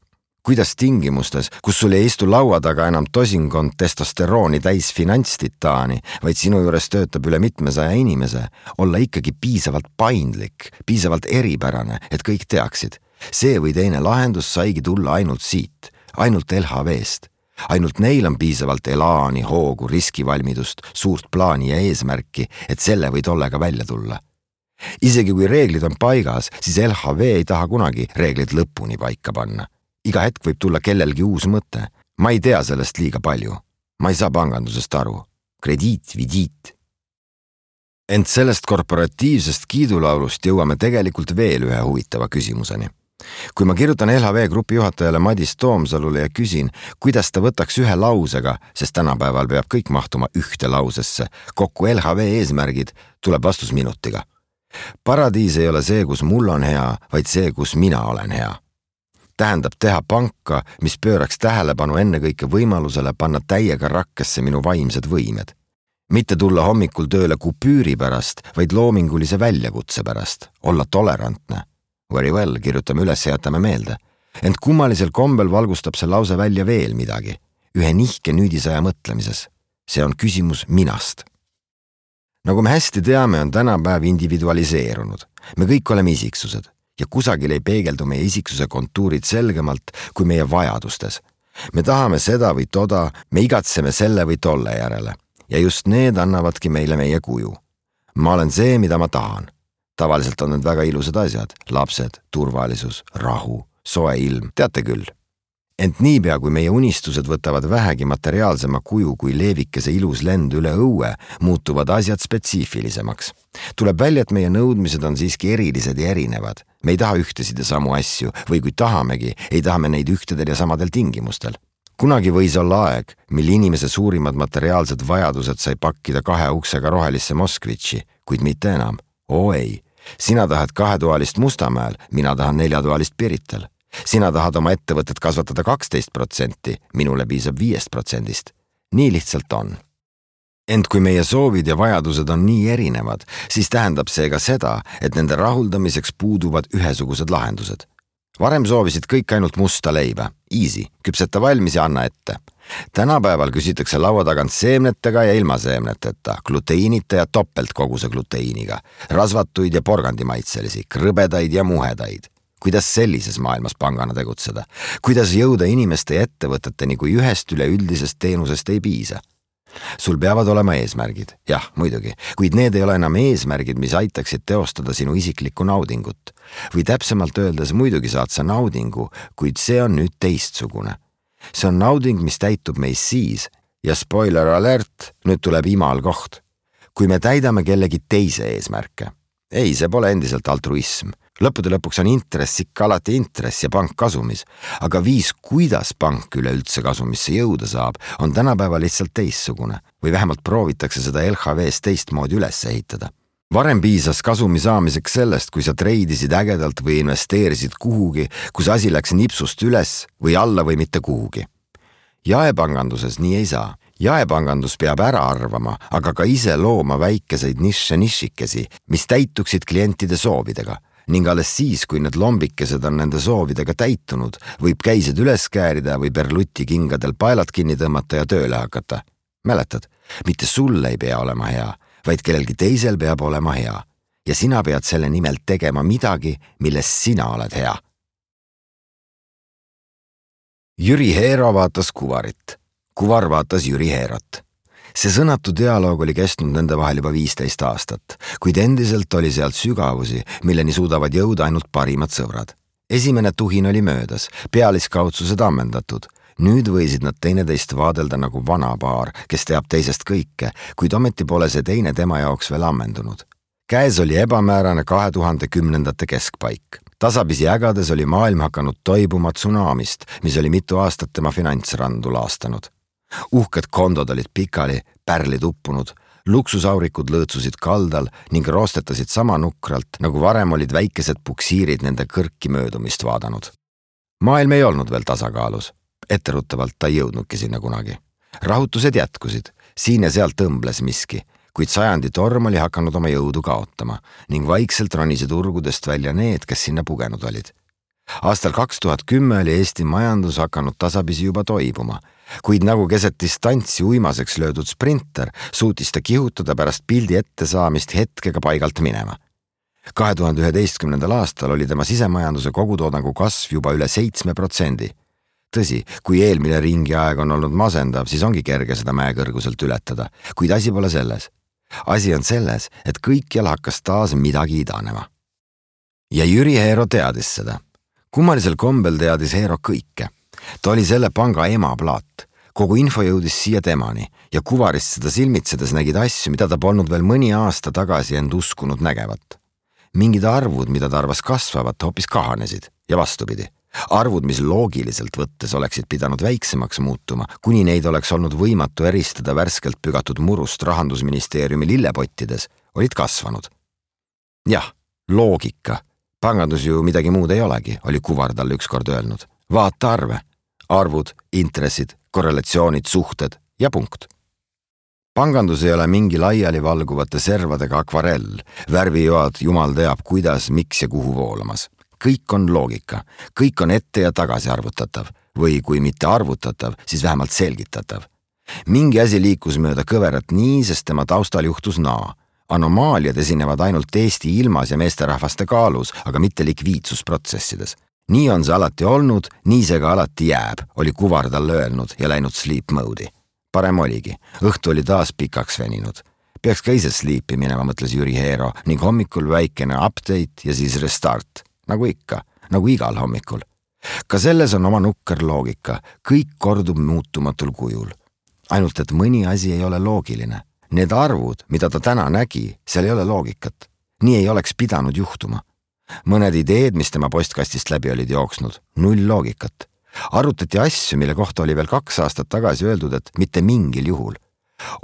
Kuidas tingimustes, kus sul ei istu laua taga enam tosinkond testosterooni täis finantstitaani, vaid sinu juures töötab üle mitmesaja inimese, olla ikkagi piisavalt paindlik, piisavalt eripärane, et kõik teaksid. See või teine lahendus saigi tulla ainult siit, ainult L H V-st. Ainult neil on piisavalt elaani, hoogu, riskivalmidust, suurt plaani ja eesmärki, et selle või tollega välja tulla. Isegi kui reeglid on paigas, siis L H V ei taha kunagi reeglid lõpuni paika panna. Iga hetk võib tulla kellelgi uus mõte. Ma ei tea sellest liiga palju. Ma ei saa pangandusest aru. Krediit, vidiit. Ent sellest korporatiivsest kiidulaulust jõuame tegelikult veel ühe huvitava küsimuseni. Kui ma kirjutan L H V grupi juhatajale Madis Toomsalule ja küsin, kuidas ta võtaks ühe lausega, sest tänapäeval peab kõik mahtuma ühte lausesse, kokku L H V eesmärgid, tuleb vastus minutiga. Paradiis ei ole see, kus mul on hea, vaid see, kus mina olen hea. Tähendab teha panka, mis pööraks tähelepanu ennekõike võimalusele panna täiega rakkesse minu vaimsed võimed. Mitte tulla hommikul tööle kupüüri pärast, vaid loomingulise väljakutse pärast, olla tolerantne. Very well, kirjutame üles ja jätame meelde. Ent kummalisel kombel valgustab see lause välja veel midagi, ühe nihke nüüdisaja mõtlemises. See on küsimus minast. Nagu me hästi teame, on tänapäev individualiseerunud. Me kõik oleme isiksused ja kusagil ei peegeldu meie isiksuse kontuurid selgemalt kui meie vajadustes. Me tahame seda või toda, me igatseme selle või tolle järele ja just need annavadki meile meie kuju. Ma olen see, mida ma tahan. Tavaliselt on need väga ilusad asjad, lapsed, turvalisus, rahu, soe ilm, teate küll. Ent niipea, kui meie unistused võtavad vähegi materiaalsema kuju kui leevikese ilus lend üle õue, muutuvad asjad spetsiifilisemaks. Tuleb välja, et meie nõudmised on siiski erilised ja erinevad. Me ei taha ühtesid ja samu asju või kui tahamegi, ei tahame neid ühtedel ja samadel tingimustel. Kunagi võis olla aeg, mil inimese suurimad materiaalsed vajadused sai pakkida kahe uksega rohelisse Moskvitši, kuid mitte enam. Oo ei. Sina tahad kahetoalist Mustamäel, mina tahan neljatoalist Pirital. Sina tahad oma ettevõtet kasvatada kaksteist protsenti, minule piisab viiest protsendist. Nii lihtsalt on. Ent kui meie soovid ja vajadused on nii erinevad, siis tähendab see ka seda, et nende rahuldamiseks puuduvad ühesugused lahendused. Varem soovisid kõik ainult musta leiba. Easy, küpseta valmis ja anna ette. Tänapäeval küsitakse laua tagant seemnetega ja ilma seemneteta, gluteiinita ja topeltkoguse gluteiiniga, rasvatuid ja porgandimaitselisi, krõbedaid ja muhedaid. Kuidas sellises maailmas pangana tegutseda? Kuidas jõuda inimeste ja ettevõteteni, kui ühest üleüldisest teenusest ei piisa? Sul peavad olema eesmärgid, jah, muidugi, kuid need ei ole enam eesmärgid, mis aitaksid teostada sinu isiklikku naudingut. Või täpsemalt öeldes muidugi saad sa naudingu, kuid see on nüüd teistsugune. See on nauding, mis täitub meis siis ja spoiler alert, nüüd tuleb imal koht. Kui me täidame kellegi teise eesmärke. Ei, see pole endiselt altruism. Lõppude lõpuks on intress ikka alati intress ja pank kasumis, aga viis, kuidas pank üleüldse kasumisse jõuda saab, on tänapäeva lihtsalt teistsugune või vähemalt proovitakse seda L H V-s teistmoodi üles ehitada. Varem piisas kasumi saamiseks sellest, kui sa treidisid ägedalt või investeerisid kuhugi, kus asi läks nipsust üles või alla või mitte kuhugi. Jaepanganduses nii ei saa. Jaepangandus peab ära arvama, aga ka ise looma väikeseid nišše nišikesi, mis täituksid klientide soovidega. Ning alles siis, kui need lombikesed on nende soovidega täitunud, võib käised üles käärida või Berluti kingadel paelad kinni tõmmata ja tööle hakata. Mäletad, mitte sul ei pea olema hea, vaid kellelgi teisel peab olema hea. Ja sina pead selle nimel tegema midagi, milles sina oled hea. Jüri Heero vaatas Kuvarit. Kuvar vaatas Jüri Heerot. See sõnatu dialoog oli kestnud nende vahel juba viisteist aastat, kuid endiselt oli sealt sügavusi, milleni suudavad jõuda ainult parimad sõbrad. Esimene tuhin oli möödas, pealiskaudsused ammendatud. Nüüd võisid nad teineteist vaadelda nagu vana paar, kes teab teisest kõike, kuid ometi pole see teine tema jaoks veel ammendunud. Käes oli ebamäärane kahe tuhande kümnendate keskpaik. Tasapisi ägades oli maailm hakanud toibuma tsunamist, mis oli mitu aastat tema finantsrandu laastanud. Uhked kondod olid pikali, pärlid uppunud, luksusaurikud lõõtsusid kaldal ning roostetasid sama nukralt, nagu varem olid väikesed puksiirid nende kõrki möödumist vaadanud. Maailm ei olnud veel tasakaalus. Etteruttavalt ta ei jõudnudki sinna kunagi. Rahutused jätkusid, siin ja sealt tõmbles miski, kuid sajandi torm oli hakanud oma jõudu kaotama ning vaikselt ronisid urgudest välja need, kes sinna pugenud olid. Aastal kaks tuhat kümme oli Eesti majandus hakanud tasapisi juba toibuma, kuid nagu keset distantsi uimaseks löödud sprinter suutis ta kihutada pärast pildi ette saamist hetkega paigalt minema. kahe tuhande üheteistkümnendal aastal oli tema sisemajanduse kogutoodangu kasv juba üle seitsme protsendi. Tõsi, kui eelmine ringi aeg on olnud masendav, siis ongi kerge seda mäekõrguselt ületada, kuid asi pole selles. Asi on selles, et kõikjal hakkas taas midagi idanema. Ja Jüri Heero teadis seda. Kummalisel kombel teadis Heero kõike. Ta oli selle panga emaplaat. Kogu info jõudis siia temani ja Kuvarist seda silmitsedes nägid asju, mida ta polnud veel mõni aasta tagasi end uskunud nägevat. Mingid arvud, mida ta arvas kasvavat, hoopis kahanesid ja vastupidi. Arvud, mis loogiliselt võttes oleksid pidanud väiksemaks muutuma, kuni neid oleks olnud võimatu eristada värskelt pügatud murust Rahandusministeeriumi lillepottides, olid kasvanud. Jah, loogika. Pangandus ju midagi muud ei olegi, oli Kuvar talle ükskord öelnud. Vaata arve. Arvud, intressid, korrelatsioonid, suhted ja punkt. Pangandus ei ole mingi laiali valguvate servadega akvarell, värvijoad jumal teab kuidas, miks ja kuhu voolamas. Kõik on loogika, kõik on ette ja tagasi arvutatav või kui mitte arvutatav, siis vähemalt selgitatav. Mingi asi liikus mööda kõverat nii, sest tema taustal juhtus naa. Anomaaliad esinevad ainult Eesti ilmas ja meesterahvaste kaalus, aga mitte likviidsusprotsessides. Nii on see alati olnud, nii see ka alati jääb, oli Kuvar talle öelnud ja läinud sleep mode'i. Parem oligi, õhtu oli taas pikaks veninud. Peaks ka ise sleepi minema, mõtles Jüri Heero ning hommikul väikene update ja siis restart. Nagu ikka, nagu igal hommikul. Ka selles on oma nukker loogika, kõik kordub muutumatul kujul. Ainult, et mõni asi ei ole loogiline. Need arvud, mida ta täna nägi, seal ei ole loogikat. Nii ei oleks pidanud juhtuma. Mõned ideed, mis tema postkastist läbi olid jooksnud, null loogikat. Arutati asju, mille kohta oli veel kaks aastat tagasi öeldud, et mitte mingil juhul.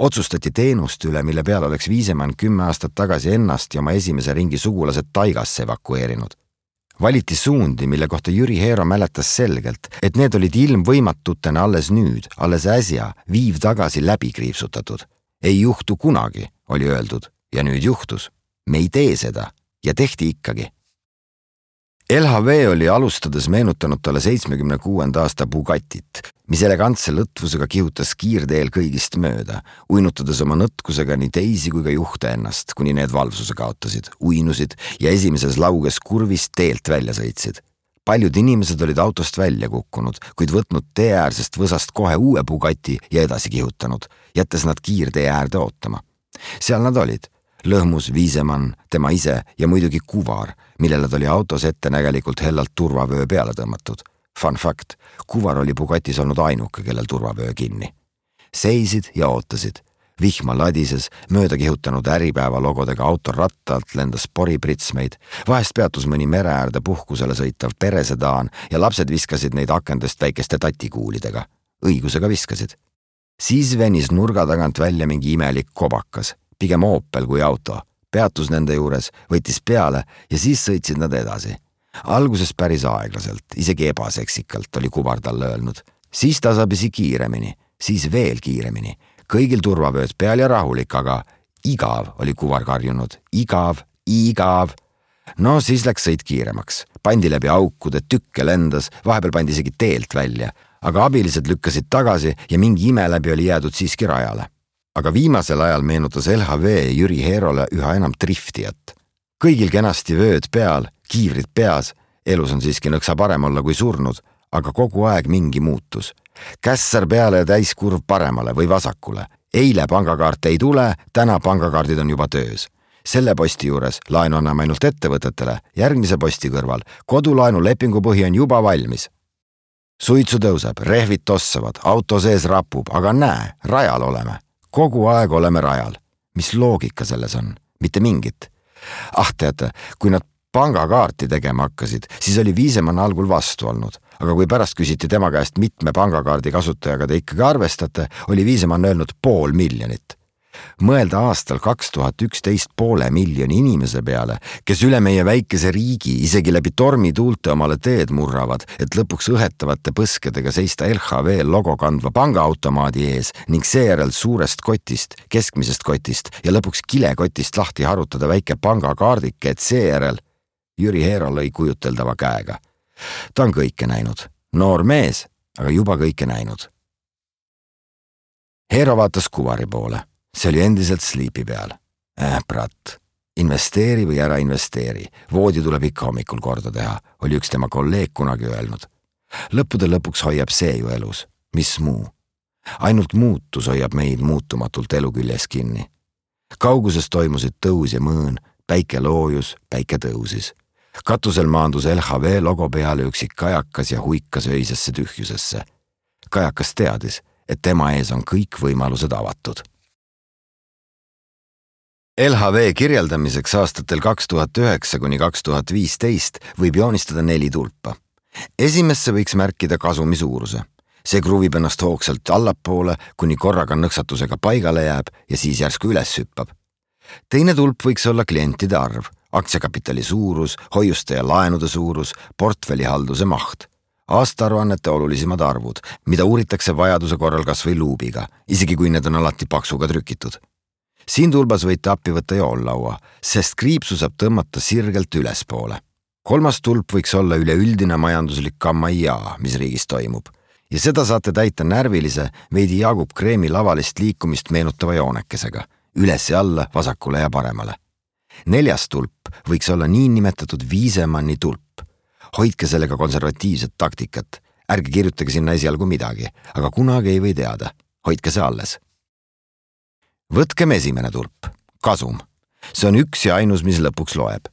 Otsustati teenust üle, mille peal oleks Viisemann kümme aastat tagasi ennast ja oma esimese ringi sugulased taigasse evakueerinud. Valiti suundi, mille kohta Jüri Heero mäletas selgelt, et need olid ilmvõimatutena alles nüüd, alles äsja, viiv tagasi läbi kriipsutatud. Ei juhtu kunagi, oli öeldud, ja nüüd juhtus. Me ei tee seda ja tehti ikkagi. L H V oli alustades meenutanud talle seitsmekümne kuuenda aasta Bugattit, mis elegantse lõtvusega kihutas kiirteel kõigist mööda, uinutades oma nõtkusega nii teisi kui ka juhte ennast, kuni need valvsuse kaotasid, uinusid ja esimeses lauges kurvist teelt välja sõitsid. Paljud inimesed olid autost välja kukkunud, kuid võtnud teeäärsest võsast kohe uue Bugatti ja edasi kihutanud, jättes nad kiirtee äärde ootama. Seal nad olid. Lõhmus Viisemann, tema ise ja muidugi Kuvar, millele ta oli autos ettenägelikult hellalt turvavöö peale tõmmatud. Fun fact, Kuvar oli Bugatis olnud ainuke, kellel turvavöö kinni. Seisid ja ootasid. Vihma ladises, mööda kihutanud Äripäeva logodega auto rattalt lendas poripritsmeid, vahest peatus mõni mere äärde puhkusele sõitav peresedaan ja lapsed viskasid neid akendest väikeste tatikuulidega. Õigusega viskasid. Siis venis nurga tagant välja mingi imelik kobakas, pigem Opel kui auto. Peatus nende juures, võttis peale ja siis sõitsid nad edasi. Alguses päris aeglaselt, isegi ebaseksikalt oli kuvar talle öelnud. Siis tasapisi kiiremini, siis veel kiiremini. Kõigil turvavööd peal ja rahulik, aga igav oli kuvar karjunud. Igav, igav. No siis läks sõit kiiremaks. Pandi läbi aukude, tükke lendas, vahepeal pandi isegi teelt välja, aga abilised lükkasid tagasi ja mingi ime läbi oli jäädud siiski rajale. Aga viimasel ajal meenutas L H V Jüri Heerole üha enam driftijat. Kõigil kenasti vööd peal, kiivrid peas, elus on siiski nõksa parem olla kui surnud, aga kogu aeg mingi muutus. Kässar peale ja täiskurv paremale või vasakule. Eile pangakaart ei tule, täna pangakaardid on juba töös. Selle posti juures laenu anname ainult ettevõtetele, järgmise posti kõrval kodulaenu lepingu põhi on juba valmis. Suitsu tõuseb, rehvid tossavad, auto sees rapub, aga näe, rajal oleme. Kogu aeg oleme rajal. Mis loogika selles on? Mitte mingit. Ah teate, kui nad pangakaarti tegema hakkasid, siis oli Viisemann algul vastu olnud. Aga kui pärast küsiti tema käest mitme pangakaardi kasutajaga te ikkagi arvestate, oli Viisemann öelnud pool miljonit. Mõelda aastal kaks tuhat üksteist poole miljoni inimese peale, kes üle meie väikese riigi isegi läbi tormituulte omale teed murravad, et lõpuks õhetavate põskedega seista L H V logo kandva pangaautomaadi ees ning seejärel suurest kotist, keskmisest kotist ja lõpuks kilekotist lahti harutada väike pangakaardike, et seejärel Jüri Heero lõi kujuteldava käega. Ta on kõike näinud. Noor mees, aga juba kõike näinud. Heero vaatas kuvari poole. See oli endiselt sliipi peal. Äh, brat, investeeri või ära investeeri. Voodi tuleb ikka hommikul korda teha, oli üks tema kolleeg kunagi öelnud. Lõppude lõpuks hoiab see ju elus. Mis muu? Ainult muutus hoiab meid muutumatult elu küljes kinni. Kauguses toimusid tõus ja mõõn, päike loojus, päike tõusis. Katusel maandus L H V logo peale üksik kajakas ja huikas öisesse tühjusesse. Kajakas teadis, et tema ees on kõik võimalused avatud. L H V kirjeldamiseks aastatel kaks tuhat üheksa kuni kaks tuhat viisteist võib joonistada neli tulpa. Esimesse võiks märkida kasumi suuruse. See kruvib ennast hoogsalt allapoole, kuni korraga nõksatusega paigale jääb ja siis järsku üles hüppab. Teine tulp võiks olla klientide arv, aktsiakapitali suurus, hoiuste ja laenude suurus, portfellihalduse maht. Aastaaruannete olulisemad arvud, mida uuritakse vajaduse korral kas või luubiga, isegi kui need on alati paksuga trükitud. Siin tulbas võite appi võtta joollaua, sest kriipsu saab tõmmata sirgelt ülespoole. Kolmas tulp võiks olla üleüldine majanduslik kammaijaa, mis riigis toimub. Ja seda saate täita närvilise, veidi Jaagup Kreemi lavalist liikumist meenutava joonekesega, üles ja alla, vasakule ja paremale. Neljas tulp võiks olla nii nimetatud Viisemanni tulp. Hoidke sellega konservatiivset taktikat. Ärge kirjutage sinna esialgu midagi, aga kunagi ei või teada. Hoidke see alles. Võtkem esimene tulp, kasum. See on üks ja ainus, mis lõpuks loeb.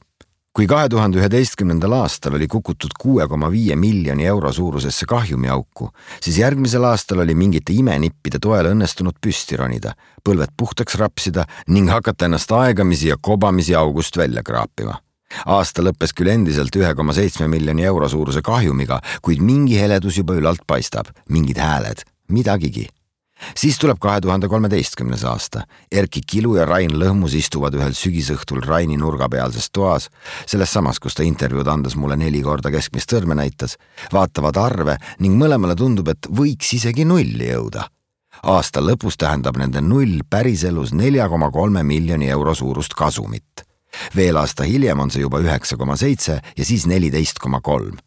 Kui kahe tuhande üheteistkümnendal aastal oli kukutud kuue koma viie miljoni euro suurusesse kahjumiauku, siis järgmisel aastal oli mingite imenippide toel õnnestunud püsti ronida, põlved puhtaks rapsida ning hakata ennast aegamisi ja kobamisi august välja kraapima. Aasta lõppes küll endiselt ühe koma seitsme miljoni euro suuruse kahjumiga, kuid mingi heledus juba ülalt paistab, mingid hääled, midagigi. Siis tuleb kahe tuhande kolmeteistkümnes aasta. Erki Kilu ja Rain Lõhmus istuvad ühel sügisõhtul Raini nurgapealses toas, selles samas, kus ta intervjuud andes mulle neli korda keskmist sõrme näitas, vaatavad arve ning mõlemale tundub, et võiks isegi nulli jõuda. Aasta lõpus tähendab nende null päriselus nelja koma kolme miljoni euro suurust kasumit. Veel aasta hiljem on see juba üheksa koma seitse ja siis neliteist koma kolm.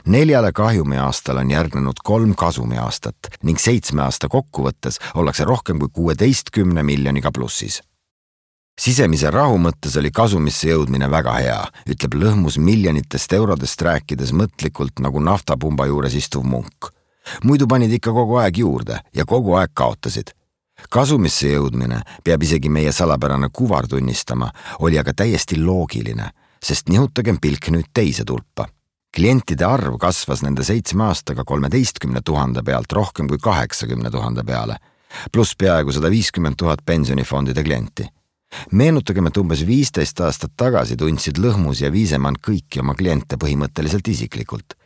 Neljale kahjumi aastal on järgnenud kolm kasumi aastat ning seitsme aasta kokkuvõttes ollakse rohkem kui kuueteistkümne miljoniga plussis. Sisemise rahu mõttes oli kasumisse jõudmine väga hea, ütleb Lõhmus miljonitest eurodest rääkides mõtlikult nagu naftapumba juures istuv munk. Muidu panid ikka kogu aeg juurde ja kogu aeg kaotasid. Kasumisse jõudmine, peab isegi meie salapärane kuvar tunnistama, oli aga täiesti loogiline, sest nihutagem pilk nüüd teise tulpa. Klientide arv kasvas nende seitsme aastaga kolmeteistkümne tuhande pealt rohkem kui kaheksakümne tuhande peale. pluss peaaegu sada viiskümmend tuhat pensionifondide klienti. Meenutagem, et umbes viisteist aastat tagasi tundsid Lõhmus ja Viisemann kõiki oma kliente põhimõtteliselt isiklikult.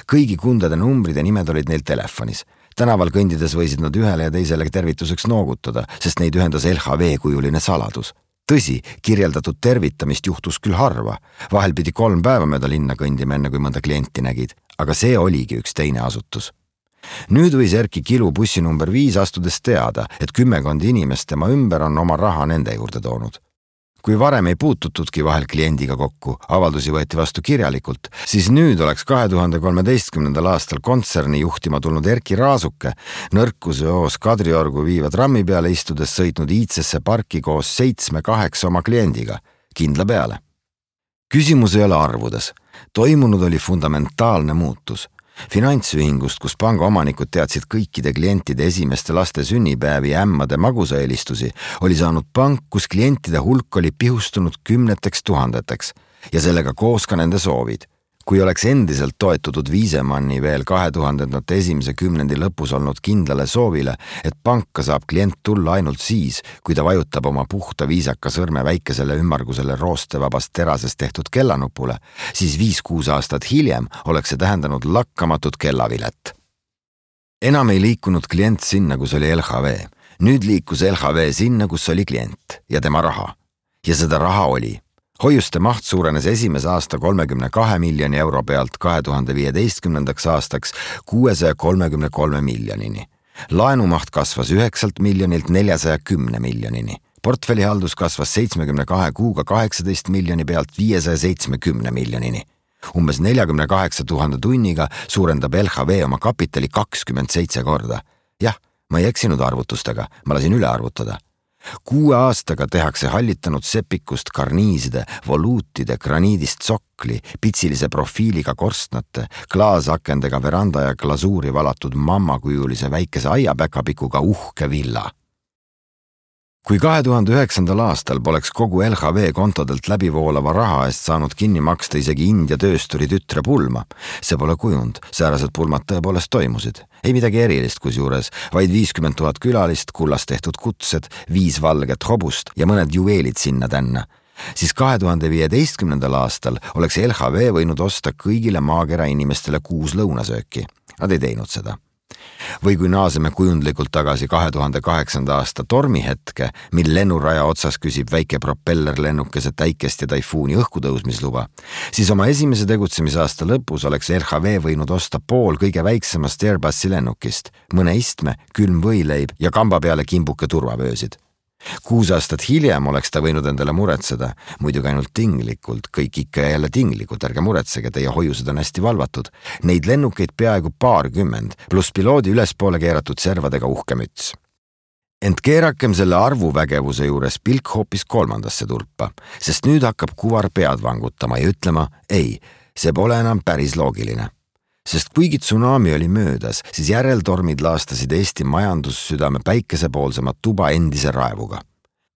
Kõigi kundade numbrid ja nimed olid neil telefonis. Tänaval kõndides võisid nad ühele ja teisele tervituseks noogutada, sest neid ühendas L H V-kujuline saladus. Tõsi, kirjeldatud tervitamist juhtus küll harva. Vahel pidi kolm päeva mööda linna kõndima enne, kui mõnda klienti nägid, aga see oligi üks teine asutus. Nüüd võis Erki Kilu bussi number viis astudes teada, et kümmekond inimest tema ümber on oma raha nende juurde toonud. Kui varem ei puututudki vahel kliendiga kokku, avaldusi võeti vastu kirjalikult, siis nüüd oleks kahe tuhande kolmeteistkümnendal aastal kontserni juhtima tulnud Erki Raasuke nõrkuse oos Kadriorgu viiva trammi peale istudes sõitnud iidsesse parki koos seitsme-kaheksa oma kliendiga, kindla peale. Küsimus ei ole arvudes. Toimunud oli fundamentaalne muutus. Finantsühingust, kus panga omanikud teadsid kõikide klientide esimeste laste sünnipäevi ja ämmade magusaelistusi, oli saanud pank, kus klientide hulk oli pihustunud kümneteks tuhandeteks ja sellega koos ka nende soovid. Kui oleks endiselt toetutud Viisemanni veel kahe tuhandendate esimese kümnendi lõpus olnud kindlale soovile, et panka saab klient tulla ainult siis, kui ta vajutab oma puhta viisaka sõrme väikesele ümmargusele roostevabast terasest tehtud kellanupule, siis viis-kuus aastat hiljem oleks see tähendanud lakkamatut kellavilet. Enam ei liikunud klient sinna, kus oli L H V. Nüüd liikus L H V sinna, kus oli klient ja tema raha. Ja seda raha oli. Hoiuste maht suurenes esimese aasta kolmekümne kahe miljoni euro pealt kahe tuhande viieteistkümnendaks aastaks kuuesaja kolmekümne kolme miljonini. Laenumaht kasvas üheksalt miljonilt neljasaja kümne miljonini. Portfellihaldus kasvas seitsmekümne kahe kuuga kaheksateist miljoni pealt viiesaja seitsmekümne miljonini. Umbes neljakümne kaheksa tuhande tunniga suurendab L H V oma kapitali kakskümmend seitse korda. Jah, ma ei eksinud arvutustega, ma lasin üle arvutada. Kuue aastaga tehakse hallitanud sepikust karniiside, voluutide, graniidist sokli, pitsilise profiiliga korstnate, klaasakendega veranda ja glasuuri valatud mammakujulise väikese aiapäkapikuga uhke villa. Kui kahe tuhande üheksandal aastal poleks kogu L H V kontodelt läbivoolava raha eest saanud kinni maksta isegi India töösturi tütre pulma, see pole kujund, säärased pulmad tõepoolest toimusid. Ei midagi erilist kusjuures, vaid viiskümmend tuhat külalist, kullast tehtud kutsed, viis valget hobust ja mõned juveelid sinna tänna. Siis kahe tuhande viieteistkümnendal aastal oleks L H V võinud osta kõigile maakera inimestele kuus lõunasööki. Nad ei teinud seda. Või kui naaseme kujundlikult tagasi kahe tuhande kaheksanda aasta tormihetke, mil lennuraja otsas küsib väike propellerlennukese täikest ja taifuuni õhkutõusmisluba, siis oma esimese tegutsemisaasta lõpus oleks L H V võinud osta pool kõige väiksemast Airbusi lennukist, mõne istme, külm võileib ja kamba peale kimbuke turvavöösid. Kuus aastat hiljem oleks ta võinud endale muretseda, muidugi ainult tinglikult, kõik ikka ja jälle tinglikult, ärge muretsege, teie hoiused on hästi valvatud. Neid lennukeid peaaegu paarkümmend, pluss piloodi ülespoole keeratud servadega uhke müts. Ent keerakem selle arvuvägevuse juures pilk hoopis kolmandasse tulpa, sest nüüd hakkab kuvar pead vangutama ja ütlema, ei, see pole enam päris loogiline. Sest kuigi tsunami oli möödas, siis järeltormid laastasid Eesti majandussüdame päikesepoolsemat tuba endise raevuga.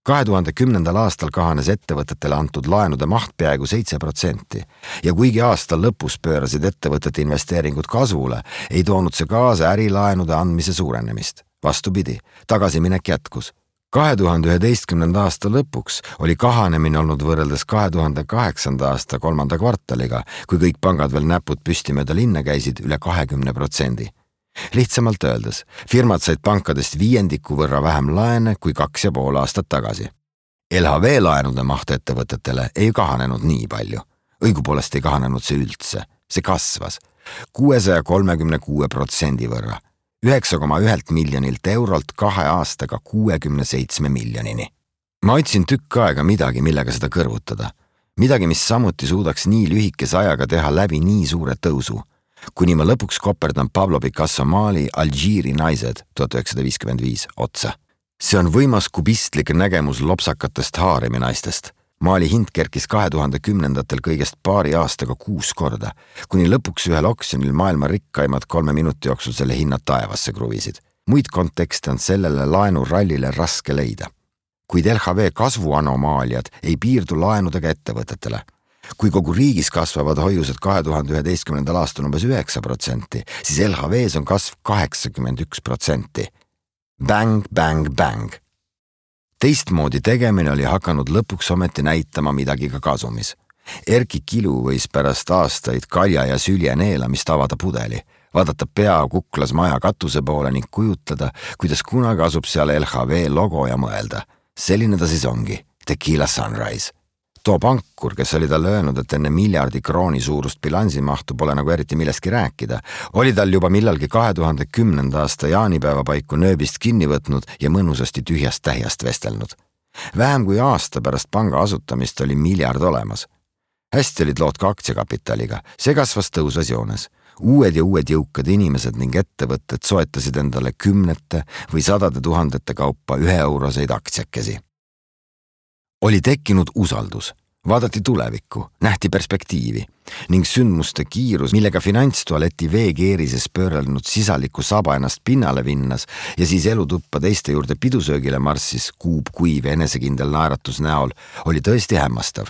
kahe tuhande kümnendal aastal kahanes ettevõtetele antud laenude maht peaaegu seitse protsenti ja kuigi aasta lõpus pöörasid ettevõtete investeeringud kasvule, ei toonud see kaasa ärilaenude andmise suurenemist. Vastupidi, tagasiminek jätkus. kahe tuhande üheteistkümnenda aasta lõpuks oli kahanemine olnud võrreldes kahe tuhande kaheksanda aasta kolmanda kvartaliga, kui kõik pangad veel näpud püsti mööda linna käisid üle kahekümne protsendi. Lihtsamalt öeldes, firmad said pankadest viiendiku võrra vähem laene kui kaks ja pool aastat tagasi. L H V laenude maht ettevõtetele ei kahanenud nii palju. Õigupoolest ei kahanenud see üldse. See kasvas kuuesaja kolmekümne kuue protsendi võrra. üheksa koma üks miljonilt eurolt kahe aastaga kuuekümne seitsme miljonini. Ma otsin tükk aega midagi, millega seda kõrvutada. Midagi, mis samuti suudaks nii lühikese ajaga teha läbi nii suure tõusu. Kuni ma lõpuks koperdan Pablo Picasso maali Alžiiri naised tuhat üheksasada viiskümmend viis otsa. See on võimas kubistlik nägemus lopsakatest haarimi naistest. Maali hind kerkis kahe tuhande kümnendatel kõigest paari aastaga kuus korda, kuni lõpuks ühel oksjonil maailma rikkaimad kolme minuti jooksul selle hinnad taevasse kruvisid. Muid kontekste on sellele laenurallile raske leida. Kuid L H V kasvuanomaaliad ei piirdu laenudega ettevõtetele. Kui kogu riigis kasvavad hoiused kahe tuhande üheteistkümnendal aastal umbes üheksa protsenti, siis L H V-s on kasv kaheksakümmend üks protsenti. Bang, bang, bang. Teistmoodi tegemine oli hakanud lõpuks ometi näitama midagi ka kasumis. Erki Kilu võis pärast aastaid kalja ja sülje neelamist avada pudeli, vaadata pea kuklas maja katuse poole ning kujutleda, kuidas kunagi asub seal L H V logo ja mõelda. Selline ta siis ongi, Tequila Sunrise. Too pankur, kes oli tal öelnud, et enne miljardi krooni suurust bilansimahtu pole nagu eriti millestki rääkida, oli tal juba millalgi kahe tuhande kümnenda aasta jaanipäeva paiku nööbist kinni võtnud ja mõnusasti tühjast tähjast vestelnud. Vähem kui aasta pärast panga asutamist oli miljard olemas. Hästi olid lood ka aktsiakapitaliga, see kasvas tõusvas joones. Uued ja uued jõukad inimesed ning ettevõtted soetasid endale kümnete või sadade tuhandete kaupa ühe euroseid aktsiakesi. Oli tekkinud usaldus, vaadati tulevikku, nähti perspektiivi ning sündmuste kiirus, millega finantstualeti veekeerises pöörelnud sisaliku saba ennast pinnale vinnas ja siis elutuppa teiste juurde pidusöögile marssis kuub kuiv ja enesekindel naeratus näol, oli tõesti hämmastav.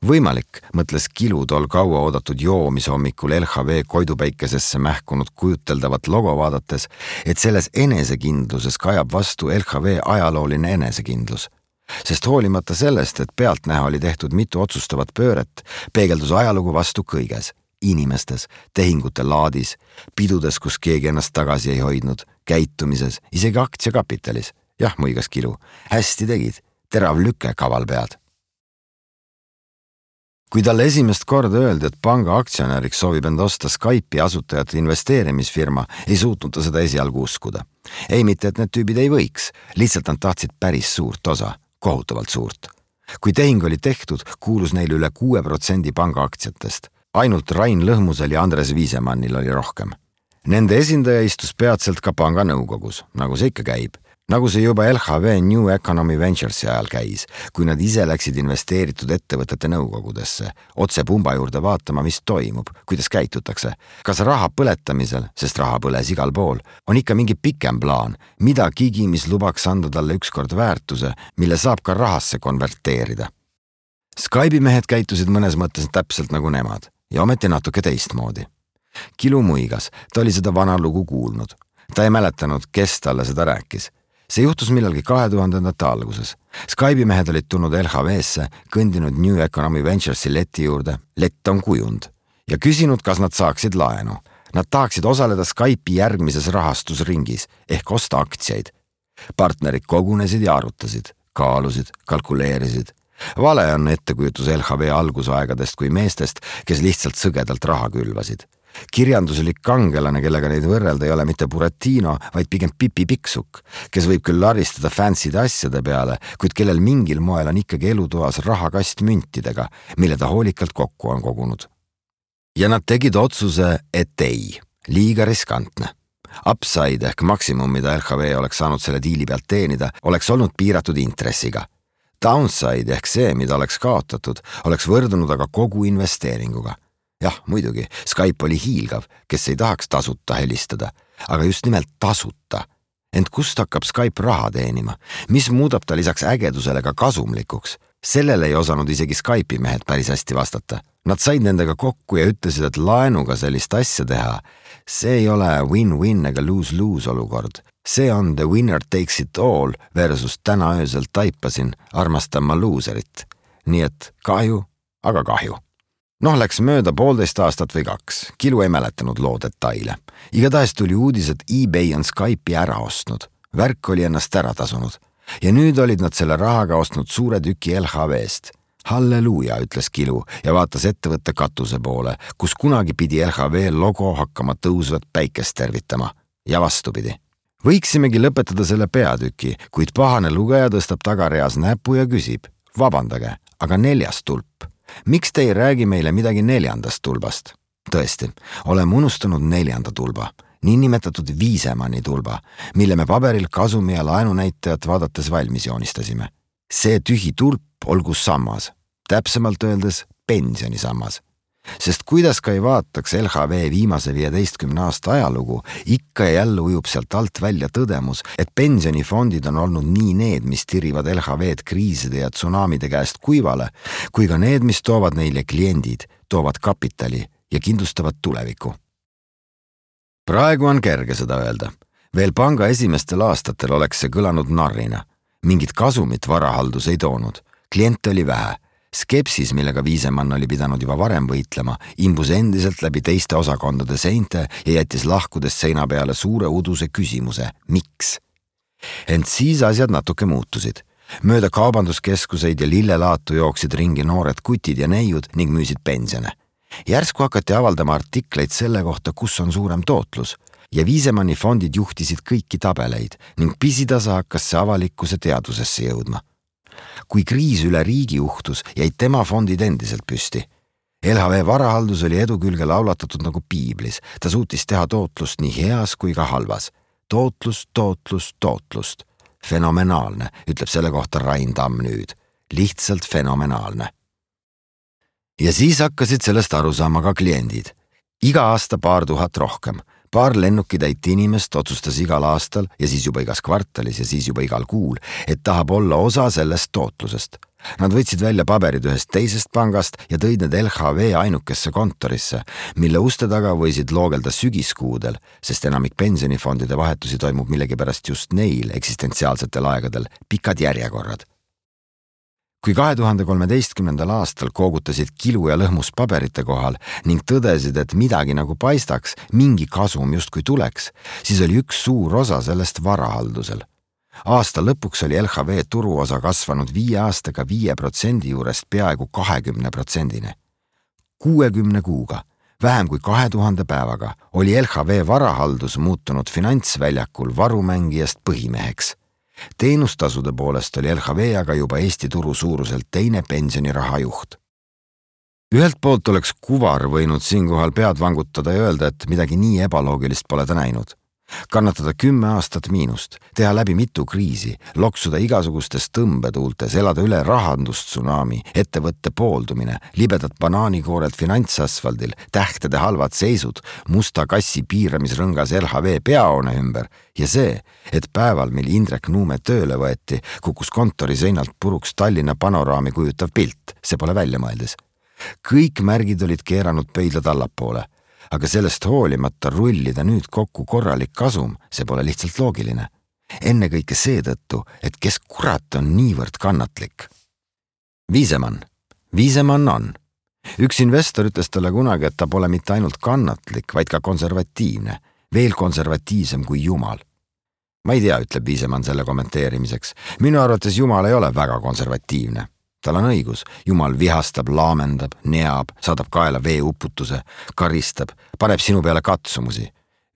Võimalik, mõtles Kilu tol kaua oodatud joomis hommikul L H V koidupäikesesse mähkunud kujuteldavat logo vaadates, et selles enesekindluses kajab vastu L H V ajalooline enesekindlus. Sest hoolimata sellest, et pealtnäha oli tehtud mitu otsustavat pööret, peegeldus ajalugu vastu kõiges, inimestes, tehingute laadis, pidudes, kus keegi ennast tagasi ei hoidnud, käitumises, isegi aktsiakapitalis. Jah, muigas Kilu, hästi tegid, terav lüke kaval pead. Kui talle esimest korda öeldi, et panga aktsionäriks soovib enda osta Skype'i asutajate investeerimisfirma, ei suutnud ta seda esialgu uskuda. Ei mitte, et need tüübid ei võiks, lihtsalt nad tahtsid päris suurt osa, kohutavalt suurt. Kui tehing oli tehtud, kuulus neil üle kuue protsendi panga aktsiatest. Ainult Rain Lõhmusel ja Andres Viisemannil oli rohkem. Nende esindaja istus peatselt ka panga nõukogus, nagu see ikka käib. Nagu see juba L H V New Economy Venturesi ajal käis, kui nad ise läksid investeeritud ettevõtete nõukogudesse, otse pumba juurde vaatama, mis toimub, kuidas käitutakse. Kas raha põletamisel, sest raha põles igal pool, on ikka mingi pikem plaan, midagigi, mis lubaks anda talle ükskord väärtuse, mille saab ka rahasse konverteerida. Skype'i mehed käitusid mõnes mõttes täpselt nagu nemad ja ometi natuke teistmoodi. Kilu muigas, ta oli seda vana lugu kuulnud. Ta ei mäletanud, kes talle seda rääkis. See juhtus millalgi kahe tuhandendate alguses. Skype'i mehed olid tulnud L H V-sse, kõndinud New Economy Venturesi leti juurde, lett on kujund, ja küsinud, kas nad saaksid laenu. Nad tahaksid osaleda Skype'i järgmises rahastusringis ehk osta aktsiaid. Partnerid kogunesid ja arutasid, kaalusid, kalkuleerisid. Vale on ettekujutus L H V algusaegadest kui meestest, kes lihtsalt sõgedalt raha külvasid. Kirjanduslik kangelane, kellega neid võrrelda ei ole mitte Buratino, vaid pigem Pipi Piksuk, kes võib küll laristada fancyde asjade peale, kuid kellel mingil moel on ikkagi elutoas rahakast müntidega, mille ta hoolikalt kokku on kogunud. Ja nad tegid otsuse, et ei, liiga riskantne. Upside ehk maksimum, mida L H V oleks saanud selle diili pealt teenida, oleks olnud piiratud intressiga. Downside ehk see, mida oleks kaotatud, oleks võrdunud aga kogu investeeringuga. Jah, muidugi, Skype oli hiilgav, kes ei tahaks tasuta helistada, aga just nimelt tasuta. Ent kust hakkab Skype raha teenima? Mis muudab ta lisaks ägedusele ka kasumlikuks? Sellele ei osanud isegi Skype'i mehed päris hästi vastata. Nad said nendega kokku ja ütlesid, et laenuga sellist asja teha. See ei ole win-win ega lose-lose olukord. See on the winner takes it all versus täna öösel taipasin, armastan ma loserit. Nii et kahju, aga kahju. Noh, läks mööda poolteist aastat või kaks. Kilu ei mäletanud loo detaile. Igatahes tuli uudis, et eBay on Skype'i ära ostnud. Värk oli ennast ära tasunud. Ja nüüd olid nad selle rahaga ostnud suure tüki L H V-st. Halleluuja, ütles Kilu ja vaatas ettevõtte katuse poole, kus kunagi pidi L H V logo hakkama tõusvat päikest tervitama. Ja vastupidi. Võiksimegi lõpetada selle peatüki, kuid pahane lugeja tõstab tagareas näpu ja küsib. Vabandage, aga neljas tulp. Miks te ei räägi meile midagi neljandast tulbast? Tõesti, oleme unustanud neljanda tulba, niinimetatud Viisemanni tulba, mille me paberil kasumi ja laenunäitajat vaadates valmis joonistasime. See tühi tulp olgu sammas, täpsemalt öeldes pensionisammas. Sest kuidas ka ei vaataks L H V viimase viieteistkümne aasta ajalugu, ikka ja jälle ujub sealt alt välja tõdemus, et pensionifondid on olnud nii need, mis tirivad L H V-d kriiside ja tsunamide käest kuivale, kui ka need, mis toovad neile kliendid, toovad kapitali ja kindlustavad tuleviku. Praegu on kerge seda öelda. Veel panga esimestel aastatel oleks see kõlanud narrina. Mingit kasumit varahaldus ei toonud. Kliente oli vähe. Skepsis, millega Viisemann oli pidanud juba varem võitlema, imbus endiselt läbi teiste osakondade seinte ja jättis lahkudes seina peale suure uduse küsimuse, miks? Ent siis asjad natuke muutusid. Mööda kaubanduskeskuseid ja lillelaatu jooksid ringi noored kutid ja neiud ning müüsid pensione. Järsku hakati avaldama artikleid selle kohta, kus on suurem tootlus ja Viisemanni fondid juhtisid kõiki tabeleid ning pisitasa hakkas see avalikkuse teadvusesse jõudma. Kui kriis üle riigi juhtus, jäid tema fondid endiselt püsti. L H V varahaldus oli edu külge laulatatud nagu piiblis. Ta suutis teha tootlust nii heas kui ka halvas. Tootlus, tootlus, tootlust. Fenomenaalne, ütleb selle kohta Rain Tamm nüüd. Lihtsalt fenomenaalne. Ja siis hakkasid sellest aru saama ka kliendid. Iga aasta paar tuhat rohkem. Paar lennukitäit inimest otsustas igal aastal ja siis juba igas kvartalis ja siis juba igal kuul, et tahab olla osa sellest tootlusest. Nad võtsid välja paberid ühest teisest pangast ja tõid need L H V ainukesse kontorisse, mille uste taga võisid loogelda sügiskuudel, sest enamik pensionifondide vahetusi toimub millegipärast just neil eksistentsiaalsetel aegadel pikad järjekorrad. Kui kahe tuhande kolmeteistkümnendal aastal koogutasid kilu ja lõhmus paberite kohal ning tõdesid, et midagi nagu paistaks, mingi kasum justkui tuleks, siis oli üks suur osa sellest varahaldusel. Aasta lõpuks oli L H V turuosa kasvanud viie aastaga viie protsendi juurest peaaegu kahekümne protsendini. kuuekümne kuuga, vähem kui kahe tuhande päevaga, oli L H V varahaldus muutunud finantsväljakul varumängijast põhimeheks. Teenustasude poolest oli L H V aga juba Eesti turu suuruselt teine pensioniraha juht. Ühelt poolt oleks kuvar võinud siinkohal pead vangutada ja öelda, et midagi nii ebaloogilist pole ta näinud. Kannatada kümme aastat miinust, teha läbi mitu kriisi, loksuda igasugustes tõmbetuultes, elada üle rahandustsunami, ettevõtte pooldumine, libedad banaanikoorelt finantsasfaldil, tähtede halvad seisud, musta kassi piiramisrõngas L H V peahoone ümber ja see, et päeval, mil Indrek Nuume tööle võeti, kukkus kontori seinalt puruks Tallinna panoraami kujutav pilt, see pole välja mõeldes. Kõik märgid olid keeranud pöidlad allapoole. Aga sellest hoolimata rullida nüüd kokku korralik kasum, see pole lihtsalt loogiline. Enne kõike seetõttu, et kes kurat on niivõrd kannatlik. Viisemann. Viisemann on. Üks investor ütles talle kunagi, et ta pole mitte ainult kannatlik, vaid ka konservatiivne, veel konservatiivsem kui Jumal. Ma ei tea, ütleb Viisemann selle kommenteerimiseks. Minu arvates Jumal ei ole väga konservatiivne. Tal on õigus, Jumal vihastab, laamendab, neab, saadab kaela veeuputuse, karistab, paneb sinu peale katsumusi.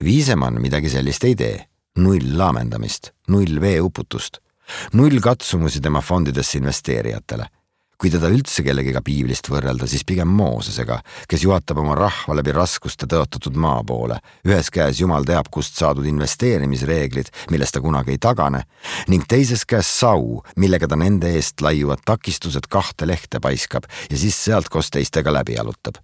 Viisemann midagi sellist ei tee. Null laamendamist, null veeuputust, null katsumusi tema fondidesse investeerijatele. Kui teda üldse kellegiga piiblist võrrelda, siis pigem Moosesega, kes juhatab oma rahva läbi raskuste tõotatud maa poole. Ühes käes Jumal teab, kust saadud investeerimisreeglid, millest ta kunagi ei tagane, ning teises käes sau, millega ta nende eest laiuvad takistused kahte lehte paiskab ja siis sealt koos teistega läbi jalutab.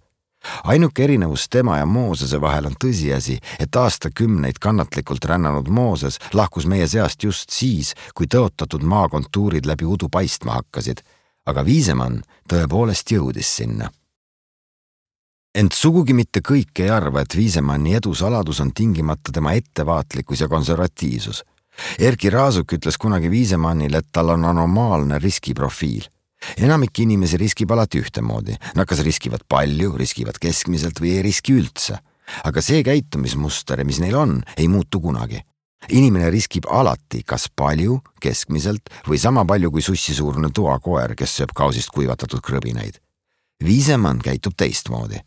Ainuke erinevus tema ja Moosese vahel on tõsiasi, et aastakümneid kannatlikult rännanud Mooses lahkus meie seast just siis, kui tõotatud maakontuurid läbi udu paistma hakkasid. Aga Viisemann tõepoolest jõudis sinna. Ent sugugi mitte kõik ei arva, et Viisemanni edu saladus on tingimata tema ettevaatlikkus ja konservatiivsus. Erki Raasuk ütles kunagi Viisemannile, et tal on anomaalne riskiprofiil. Enamik inimesi riskib alati ühtemoodi. Nad kas riskivad palju, riskivad keskmiselt või ei riski üldse. Aga see käitumismuster, mis neil on, ei muutu kunagi. Inimene riskib alati kas palju, keskmiselt või sama palju kui sussisuurune toakoer, kes sööb kausist kuivatatud krõbineid. Viisemann käitub teistmoodi.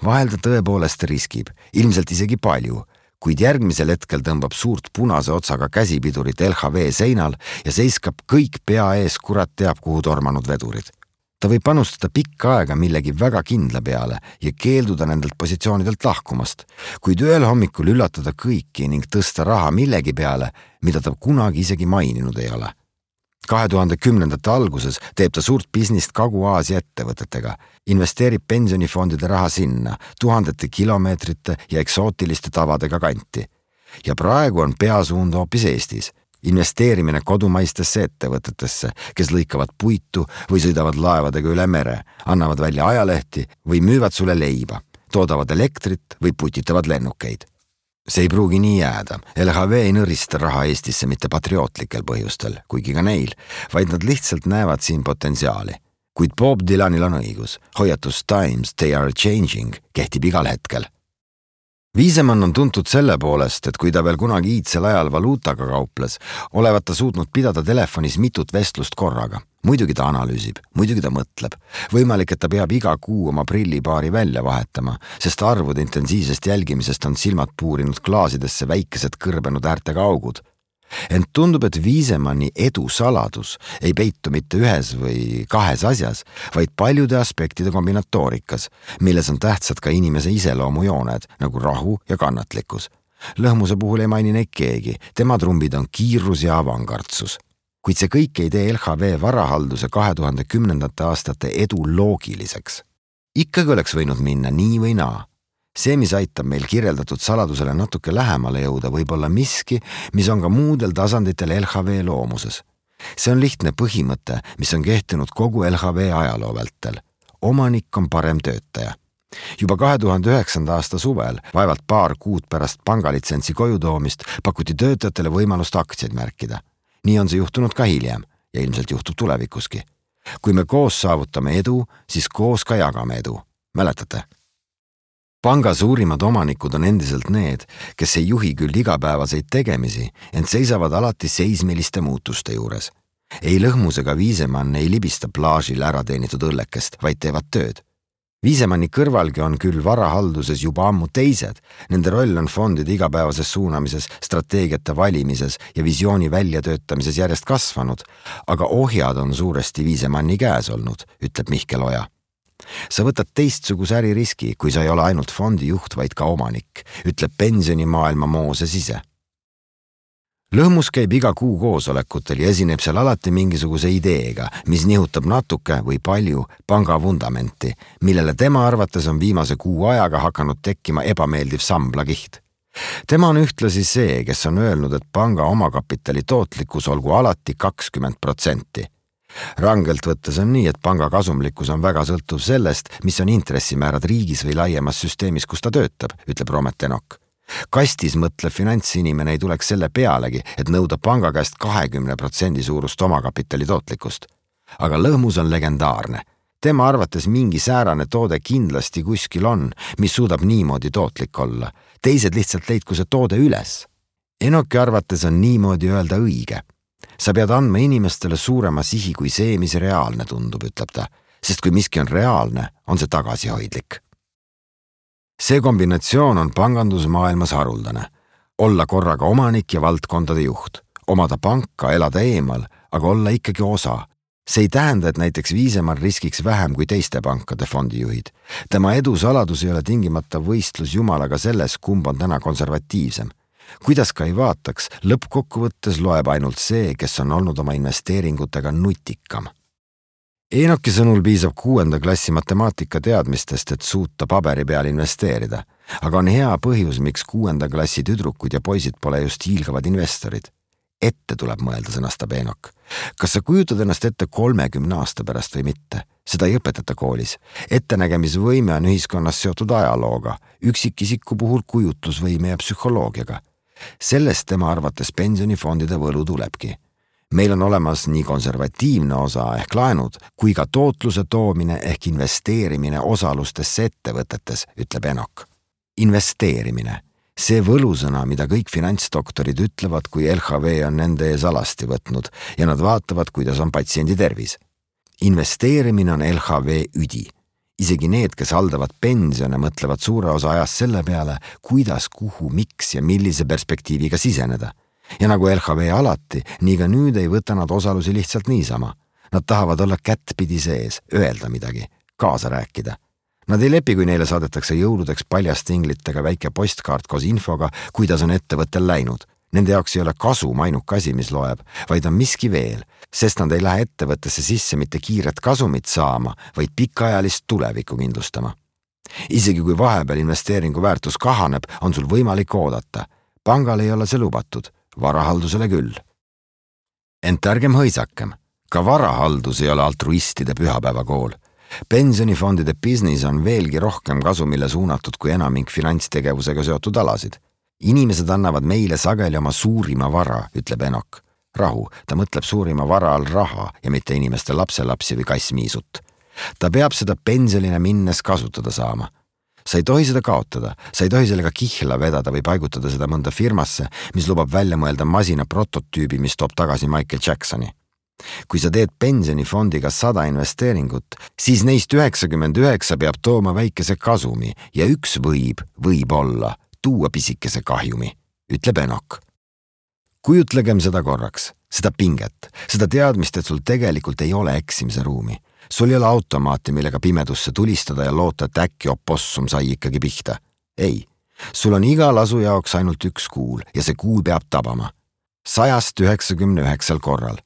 Vahel ta tõepoolest riskib, ilmselt isegi palju, kuid järgmisel hetkel tõmbab suurt punase otsaga käsipidurit L H V seinal ja seiskab kõik pea ees kurat teab kuhu tormanud vedurid. Ta võib panustada pikka aega millegi väga kindla peale ja keelduda nendelt positsioonidelt lahkumast, kuid ühel hommikul üllatada kõiki ning tõsta raha millegi peale, mida ta kunagi isegi maininud ei ole. kahe tuhande kümnendate alguses teeb ta suurt businist Kagu-Aasia ettevõtetega, investeerib pensionifondide raha sinna, tuhandete kilomeetrite ja eksootiliste tavadega kanti. Ja praegu on peasuund hoopis Eestis. Investeerimine kodumaistesse ettevõtetesse, kes lõikavad puitu või sõidavad laevadega üle mere, annavad välja ajalehti või müüvad sulle leiba, toodavad elektrit või putitavad lennukeid. See ei pruugi nii jääda. L H V ei nõrista raha Eestisse mitte patriootlikel põhjustel, kuigi ka neil, vaid nad lihtsalt näevad siin potentsiaali. Kuid Bob Dylanil on õigus. Hoiatus Times, they are changing kehtib igal hetkel. Viisemann on tuntud selle poolest, et kui ta veel kunagi iidsel ajal valuutaga kauples, olevat ta suutnud pidada telefonis mitut vestlust korraga. Muidugi ta analüüsib, muidugi ta mõtleb. Võimalik, et ta peab iga kuu oma prillipaari välja vahetama, sest arvude intensiivsest jälgimisest on silmad puurinud klaasidesse väikesed kõrbenud äärtega augud. Ent tundub, et Viisemanni edu saladus ei peitu mitte ühes või kahes asjas, vaid paljude aspektide kombinatoorikas, milles on tähtsad ka inimese iseloomujooned, nagu rahu ja kannatlikkus. Lõhmuse puhul ei maini neid keegi, tema trumbid on kiirus ja avangardsus. Kuid see kõik ei tee L H V varahalduse kahe tuhande kümnendate aastate edu loogiliseks. Ikkagi oleks võinud minna nii või naa. See, mis aitab meil kirjeldatud saladusele natuke lähemale jõuda, võib olla miski, mis on ka muudel tasanditel L H V loomuses. See on lihtne põhimõte, mis on kehtinud kogu L H V ajaloo vältel. Omanik on parem töötaja. Juba kahe tuhande üheksanda aasta suvel, vaevalt paar kuud pärast pangalitsentsi koju toomist, pakuti töötajatele võimalust aktsiaid märkida. Nii on see juhtunud ka hiljem ja ilmselt juhtub tulevikuski. Kui me koos saavutame edu, siis koos ka jagame edu. Mäletate? Panga suurimad omanikud on endiselt need, kes ei juhi küll igapäevaseid tegemisi, ent seisavad alati seismiliste muutuste juures. Ei Lõhmus ega Viisemann ei libista plaažil ära teenitud õllekest, vaid teevad tööd. Viisemanni kõrvalgi on küll varahalduses juba ammu teised. Nende roll on fondide igapäevases suunamises, strateegiate valimises ja visiooni väljatöötamises järjest kasvanud, aga ohjad on suuresti Viisemanni käes olnud, ütleb Mihkel Oja. Sa võtad teistsuguse äririski, kui sa ei ole ainult fondi juht, vaid ka omanik, ütleb pensionimaailma Mooses ise. Lõhmus käib iga kuu koosolekutel ja esineb seal alati mingisuguse ideega, mis nihutab natuke või palju panga vundamenti, millele tema arvates on viimase kuu ajaga hakanud tekkima ebameeldiv samblakiht. Tema on ühtlasi see, kes on öelnud, et panga omakapitali tootlikkus olgu alati kakskümmend protsenti. Rangelt võttes on nii, et panga kasumlikkus on väga sõltuv sellest, mis on intressimäärad riigis või laiemas süsteemis, kus ta töötab, ütleb Romet Enok. Kastis mõtlev finantsinimene ei tuleks selle pealegi, et nõuda panga käest kahekümne protsendi suurust omakapitali tootlikkust. Aga Lõhmus on legendaarne. Tema arvates mingi säärane toode kindlasti kuskil on, mis suudab niimoodi tootlik olla. Teised lihtsalt leidku see toode üles. Enoki arvates on niimoodi öelda õige. Sa pead andma inimestele suurema sihi kui see, mis reaalne tundub, ütleb ta, sest kui miski on reaalne, on see tagasihoidlik. See kombinatsioon on pangandusmaailmas haruldane. Olla korraga omanik ja valdkondade juht. Omada panka, elada eemal, aga olla ikkagi osa. See ei tähenda, et näiteks Viisemann riskiks vähem kui teiste pankade fondijuhid. Tema edu saladus ei ole tingimata võistlus jumalaga selles, kumb on täna konservatiivsem. Kuidas ka ei vaataks, lõppkokkuvõttes loeb ainult see, kes on olnud oma investeeringutega nutikam. Enoki sõnul piisab kuuenda klassi matemaatika teadmistest, et suuta paberi peal investeerida, aga on hea põhjus, miks kuuenda klassi tüdrukud ja poisid pole just hiilgavad investorid. Ette tuleb mõelda, sõnastab Enok. Kas sa kujutad ennast ette kolmekümne aasta pärast või mitte? Seda ei õpetata koolis. Ettenägemisvõime on ühiskonnas seotud ajalooga, üksikisiku puhul kujutlusvõime ja psühholoogiaga. Sellest tema arvates pensionifondide võlu tulebki. Meil on olemas nii konservatiivne osa ehk laenud, kui ka tootluse toomine ehk investeerimine osalustesse ettevõtetes, ütleb Enok. Investeerimine. See võlusõna, mida kõik finantsdoktorid ütlevad, kui L H V on nende ees alasti võtnud ja nad vaatavad, kuidas on patsiendi tervis. Investeerimine on L H V üdi. Isegi need, kes haldavad pensione, mõtlevad suure osa ajast selle peale, kuidas, kuhu, miks ja millise perspektiiviga siseneda. Ja nagu L H V alati, nii ka nüüd ei võta nad osalusi lihtsalt niisama. Nad tahavad olla kättpidi sees, öelda midagi, kaasa rääkida. Nad ei lepi, kui neile saadetakse jõuludeks paljastinglitega väike postkaart koos infoga, kuidas on ettevõttel läinud. Nende jaoks ei ole kasum ainuke asi, mis loeb, vaid on miski veel, sest nad ei lähe ettevõttesse sisse mitte kiiret kasumit saama, vaid pikaajalist tulevikku kindlustama. Isegi kui vahepeal investeeringu väärtus kahaneb, on sul võimalik oodata. Pangal ei ole see lubatud. Varahaldusele küll. Ent ärgem hõisakem. Ka varahaldus ei ole altruistide pühapäevakool. Pensionifondide business on veelgi rohkem kasumile suunatud kui enamik finantstegevusega seotud alasid. inimesed annavad meile sageli oma suurima vara, ütleb Enok. Rahu, ta mõtleb suurima vara all raha ja mitte inimeste lapselapsi või kassmiisut. Ta peab seda pensionile minnes kasutada saama. Sa ei tohi seda kaotada, sa ei tohi sellega kihla vedada või paigutada seda mõnda firmasse, mis lubab välja mõelda masina prototüübi, mis toob tagasi Michael Jacksoni. Kui sa teed pensionifondiga sada investeeringut, siis neist üheksakümmend üheksa peab tooma väikese kasumi ja üks võib, võib olla, tuua pisikese kahjumi, ütleb Enok. Kujutlegem seda korraks, seda pinget, seda teadmist, et sul tegelikult ei ole eksimise ruumi. Sul ei ole automaati, millega pimedusse tulistada ja loota, et äkki opossum sai ikkagi pihta. Ei, sul on iga lasu jaoks ainult üks kuul ja see kuul peab tabama. Sajast üheksakümne üheksal korral.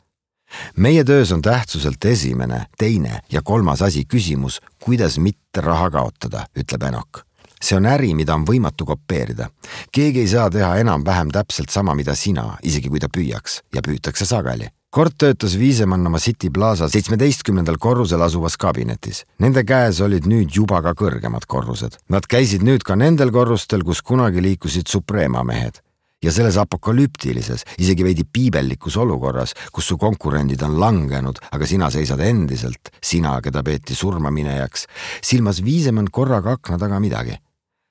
Meie töös on tähtsuselt esimene, teine ja kolmas asi küsimus, kuidas mitte raha kaotada, ütleb Enok. See on äri, mida on võimatu kopeerida. Keegi ei saa teha enam-vähem täpselt sama, mida sina, isegi kui ta püüaks ja püütakse sageli. Kord töötas Viisemann oma City Plaza seitsmeteistkümnendal korrusel asuvas kabinetis. Nende käes olid nüüd juba ka kõrgemad korrused. Nad käisid nüüd ka nendel korrustel, kus kunagi liikusid Suprema mehed. Ja selles apokalüptilises, isegi veidi piibellikus olukorras, kus su konkurendid on langenud, aga sina seisad endiselt, sina, keda peeti surma minejaks, silmas Viisemann korraga akna taga midagi.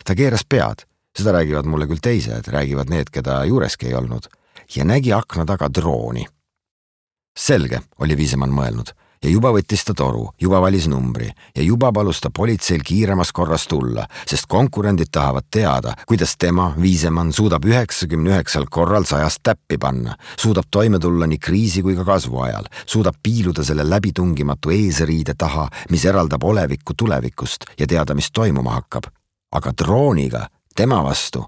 Ta keeras pead, seda räägivad mulle küll teised, räägivad need, keda juureski ei olnud, ja nägi akna taga drooni. Selge, oli Viisemann mõelnud, ja juba võttis ta toru, juba valis numbri ja juba palus ta politseil kiiremas korras tulla, sest konkurendid tahavad teada, kuidas tema, Viisemann, suudab üheksakümne üheksal korral sajast täppi panna, suudab toime tulla nii kriisi kui ka kasvu ajal, suudab piiluda selle läbitungimatu eesriide taha, mis eraldab olevikku tulevikust ja teada, mis toimuma hakkab. Aga drooniga, tema vastu.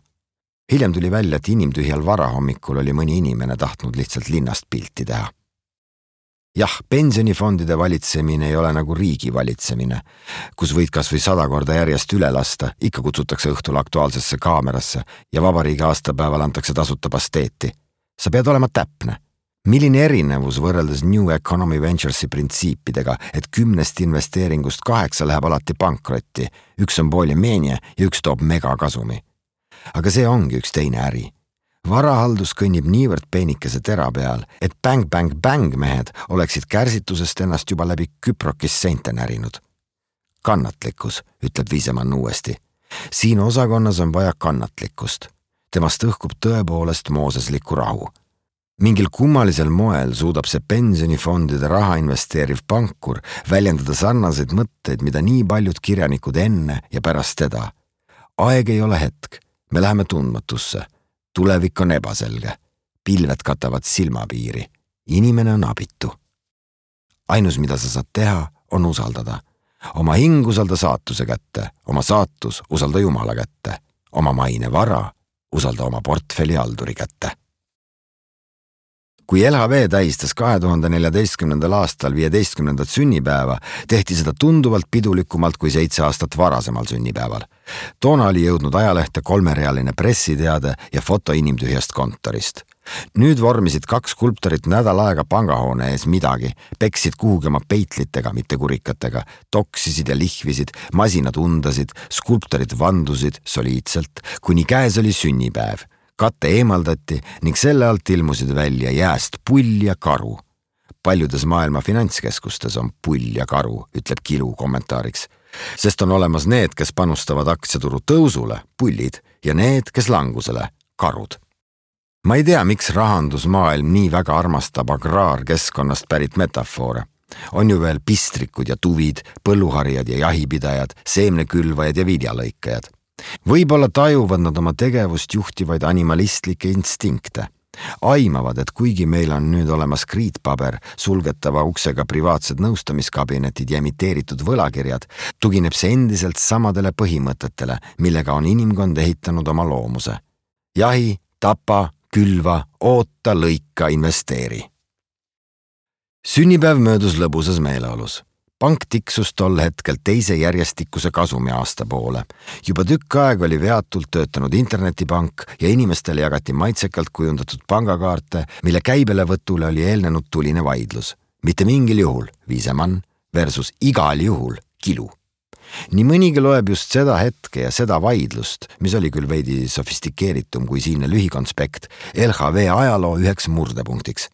Hiljem tuli välja, et inimtühjal varahommikul oli mõni inimene tahtnud lihtsalt linnast pilti teha. Jah, pensionifondide valitsemine ei ole nagu riigi valitsemine, kus võid kas või sada korda järjest üle lasta, ikka kutsutakse õhtul aktuaalsesse kaamerasse ja vabariigi aastapäeval antakse tasuta pasteeti. Sa pead olema täpne. Milline erinevus võrreldes New Economy Venturesi printsiipidega, et kümnest investeeringust kaheksa läheb alati pankrotti, üks on poolimeenie ja üks toob megakasumi. Aga see ongi üks teine äri. Varahaldus kõnnib niivõrd peenikese tera peal, et bang-bang-bang mehed oleksid kärsitusest ennast juba läbi Küprokis seinte närinud. Kannatlikkus, ütleb Viisemann uuesti. Siin osakonnas on vaja kannatlikkust. Temast õhkub tõepoolest mooseslikku rahu. Mingil kummalisel moel suudab see pensionifondide raha investeeriv pankur väljendada sarnaseid mõtteid, mida nii paljud kirjanikud enne ja pärast teda. Aeg ei ole hetk, me läheme tundmatusse. Tulevik on ebaselge. Pilved katavad silmapiiri. Inimene on abitu. Ainus, mida sa saad teha, on usaldada. Oma hing usalda saatuse kätte, oma saatus usalda Jumala kätte, oma maine vara usalda oma portfelli halduri kätte. Kui L H V tähistas kahe tuhande neljateistkümnendal aastal viieteistkümnendat sünnipäeva, tehti seda tunduvalt pidulikumalt kui seitse aastat varasemal sünnipäeval. Toona oli jõudnud ajalehte kolmerealine pressiteade ja foto inimtühjast kontorist. Nüüd vormisid kaks skulptorit nädal aega pangahoone ees midagi, peksid kuhugi oma peitlitega, mitte kurikatega, toksisid ja lihvisid, masinad undasid, skulptorid vandusid soliidselt, kuni käes oli sünnipäev. Katte eemaldati ning selle alt ilmusid välja jääst pull ja karu. Paljudes maailma finantskeskustes on pull ja karu, ütleb Kilu kommentaariks. Sest on olemas need, kes panustavad aktsiaturu tõusule, pullid, ja need, kes langusele, karud. Ma ei tea, miks rahandusmaailm nii väga armastab agraarkeskkonnast pärit metafoore. On ju veel pistrikud ja tuvid, põlluharijad ja jahipidajad, seemnekülvajad ja viljalõikajad. Võib-olla tajuvad nad oma tegevust juhtivaid animalistlikke instinkte. Aimavad, et kuigi meil on nüüd olemas kriitpaber, sulgetava uksega privaatsed nõustamiskabinetid ja emiteeritud võlakirjad, tugineb see endiselt samadele põhimõtetele, millega on inimkond ehitanud oma loomuse. Jahi, tapa, külva, oota, lõika, investeeri. Sünnipäev möödus lõbusas meeleolus. Pank tiksus tol hetkel teise järjestikuse kasumi aasta poole. Juba tükk aeg oli veatult töötanud internetipank ja inimestele jagati maitsekalt kujundatud pangakaarte, mille käibelevõtule oli eelnenud tuline vaidlus. Mitte mingil juhul Viisemann versus igal juhul Kilu. nii mõnigi loeb just seda hetke ja seda vaidlust, mis oli küll veidi sofistikeeritum kui siinne lühikonspekt, L H V ajaloo üheks murdepunktiks.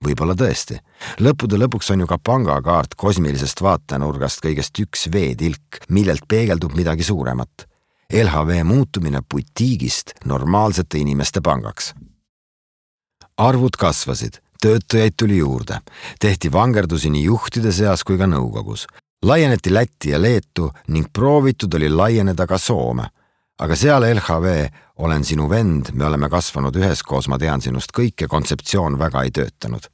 Võib-olla tõesti. Lõppude lõpuks on ju ka pangakaart kosmilisest vaatenurgast kõigest üks veetilk, millelt peegeldub midagi suuremat. L H V muutumine butiigist normaalsete inimeste pangaks. Arvud kasvasid, töötajaid tuli juurde, tehti vangerdusi nii juhtide seas kui ka nõukogus. Laieneti Lätti ja Leetu ning proovitud oli laieneda ka Soome. Aga seal L H V, olen sinu vend, me oleme kasvanud üheskoos, ma tean sinust kõike, kontseptsioon väga ei töötanud.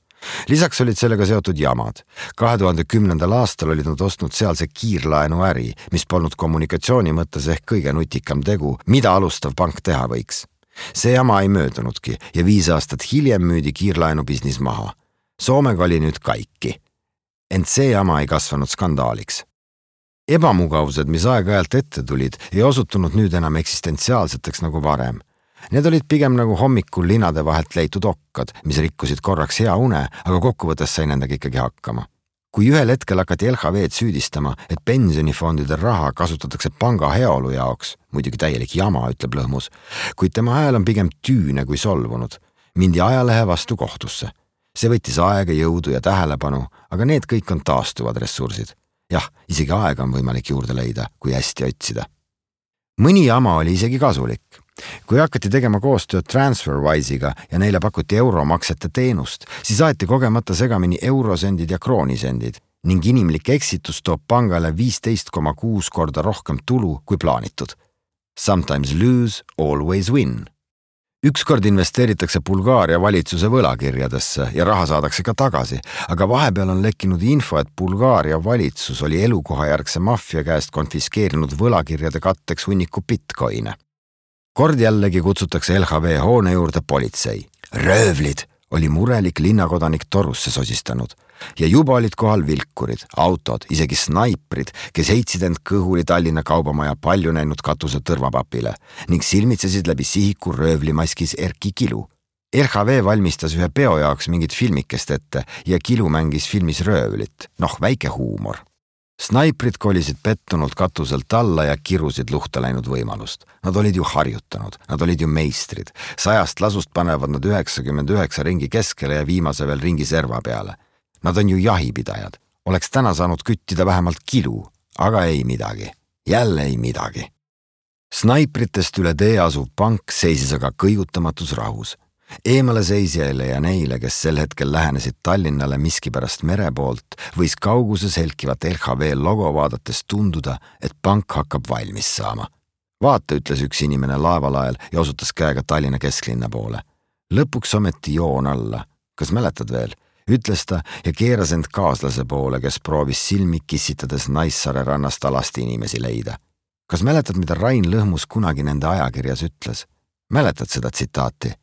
Lisaks olid sellega seotud jamad. kahe tuhande kümnendal aastal olid nad ostnud sealse kiirlaenu äri, mis polnud kommunikatsiooni mõttes ehk kõige nutikam tegu, mida alustav pank teha võiks. See jama ei möödunudki ja viis aastat hiljem müüdi kiirlaenu business maha. Soomega oli nüüd kaikki. Ent see jama ei kasvanud skandaaliks. Ebamugavused, mis aeg-ajalt ette tulid, ei osutunud nüüd enam eksistentsiaalseteks nagu varem. Need olid pigem nagu hommikul linade vahelt leitud okkad, mis rikkusid korraks hea une, aga kokkuvõttes sai nendega ikkagi hakkama. Kui ühel hetkel hakati L H V-d süüdistama, et pensionifondide raha kasutatakse panga heaolu jaoks, muidugi täielik jama, ütleb Lõhmus, kuid tema hääl on pigem tüüne kui solvunud, mindi ajalehe vastu kohtusse. See võttis aega, jõudu ja tähelepanu, aga need kõik on taastuvad ressursid. Jah, isegi aega on võimalik juurde leida, kui hästi otsida. Mõni jama oli isegi kasulik. Kui hakati tegema koostööd TransferWise'iga ja neile pakuti euromaksete teenust, siis aeti kogemata segamini eurosendid ja kroonisendid ning inimlik eksitus toob pangale viisteist koma kuus korda rohkem tulu kui plaanitud. Sometimes lose, always win. Ükskord investeeritakse Bulgaaria valitsuse võlakirjadesse ja raha saadakse ka tagasi, aga vahepeal on lekkinud info, et Bulgaaria valitsus oli elukohajärgse maffia käest konfiskeerinud võlakirjade katteks hunniku bitcoine. Kord jällegi kutsutakse L H V hoone juurde politsei. Röövlid oli murelik linnakodanik torusse sosistanud ja juba olid kohal vilkurid, autod, isegi snaiprid, kes heitsid end kõhuli Tallinna kaubamaja palju näinud katuse tõrvapapile ning silmitsesid läbi sihiku röövlimaskis Erki Kilu. R H V valmistas ühe peo jaoks mingit filmikest ette ja Kilu mängis filmis röövlit, noh väike huumor. Snaiprid kolisid pettunult katuselt alla ja kirusid luhta läinud võimalust. Nad olid ju harjutanud, nad olid ju meistrid. Sajast lasust panevad nad üheksakümmend üheksa ringi keskele ja viimase veel ringi serva peale. Nad on ju jahipidajad. Oleks täna saanud küttida vähemalt Kilu, aga ei midagi. Jälle ei midagi. Snaipritest üle tee asuv pank seisis aga kõigutamatus rahus. Eemale seisjaile ja neile, kes sel hetkel lähenesid Tallinnale miskipärast mere poolt, võis kauguses helkivat L H V logo vaadates tunduda, et pank hakkab valmis saama. Vaata, ütles üks inimene laevalael ja osutas käega Tallinna kesklinna poole. Lõpuks ometi joon alla. Kas mäletad veel? Ütles ta ja keeras end kaaslase poole, kes proovis silmi kissitades Naissaare rannast alasti inimesi leida. Kas mäletad, mida Rain Lõhmus kunagi nende ajakirjas ütles? Mäletad seda tsitaati?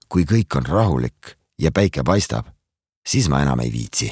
Kui kõik on rahulik ja päike paistab, siis ma enam ei viitsi.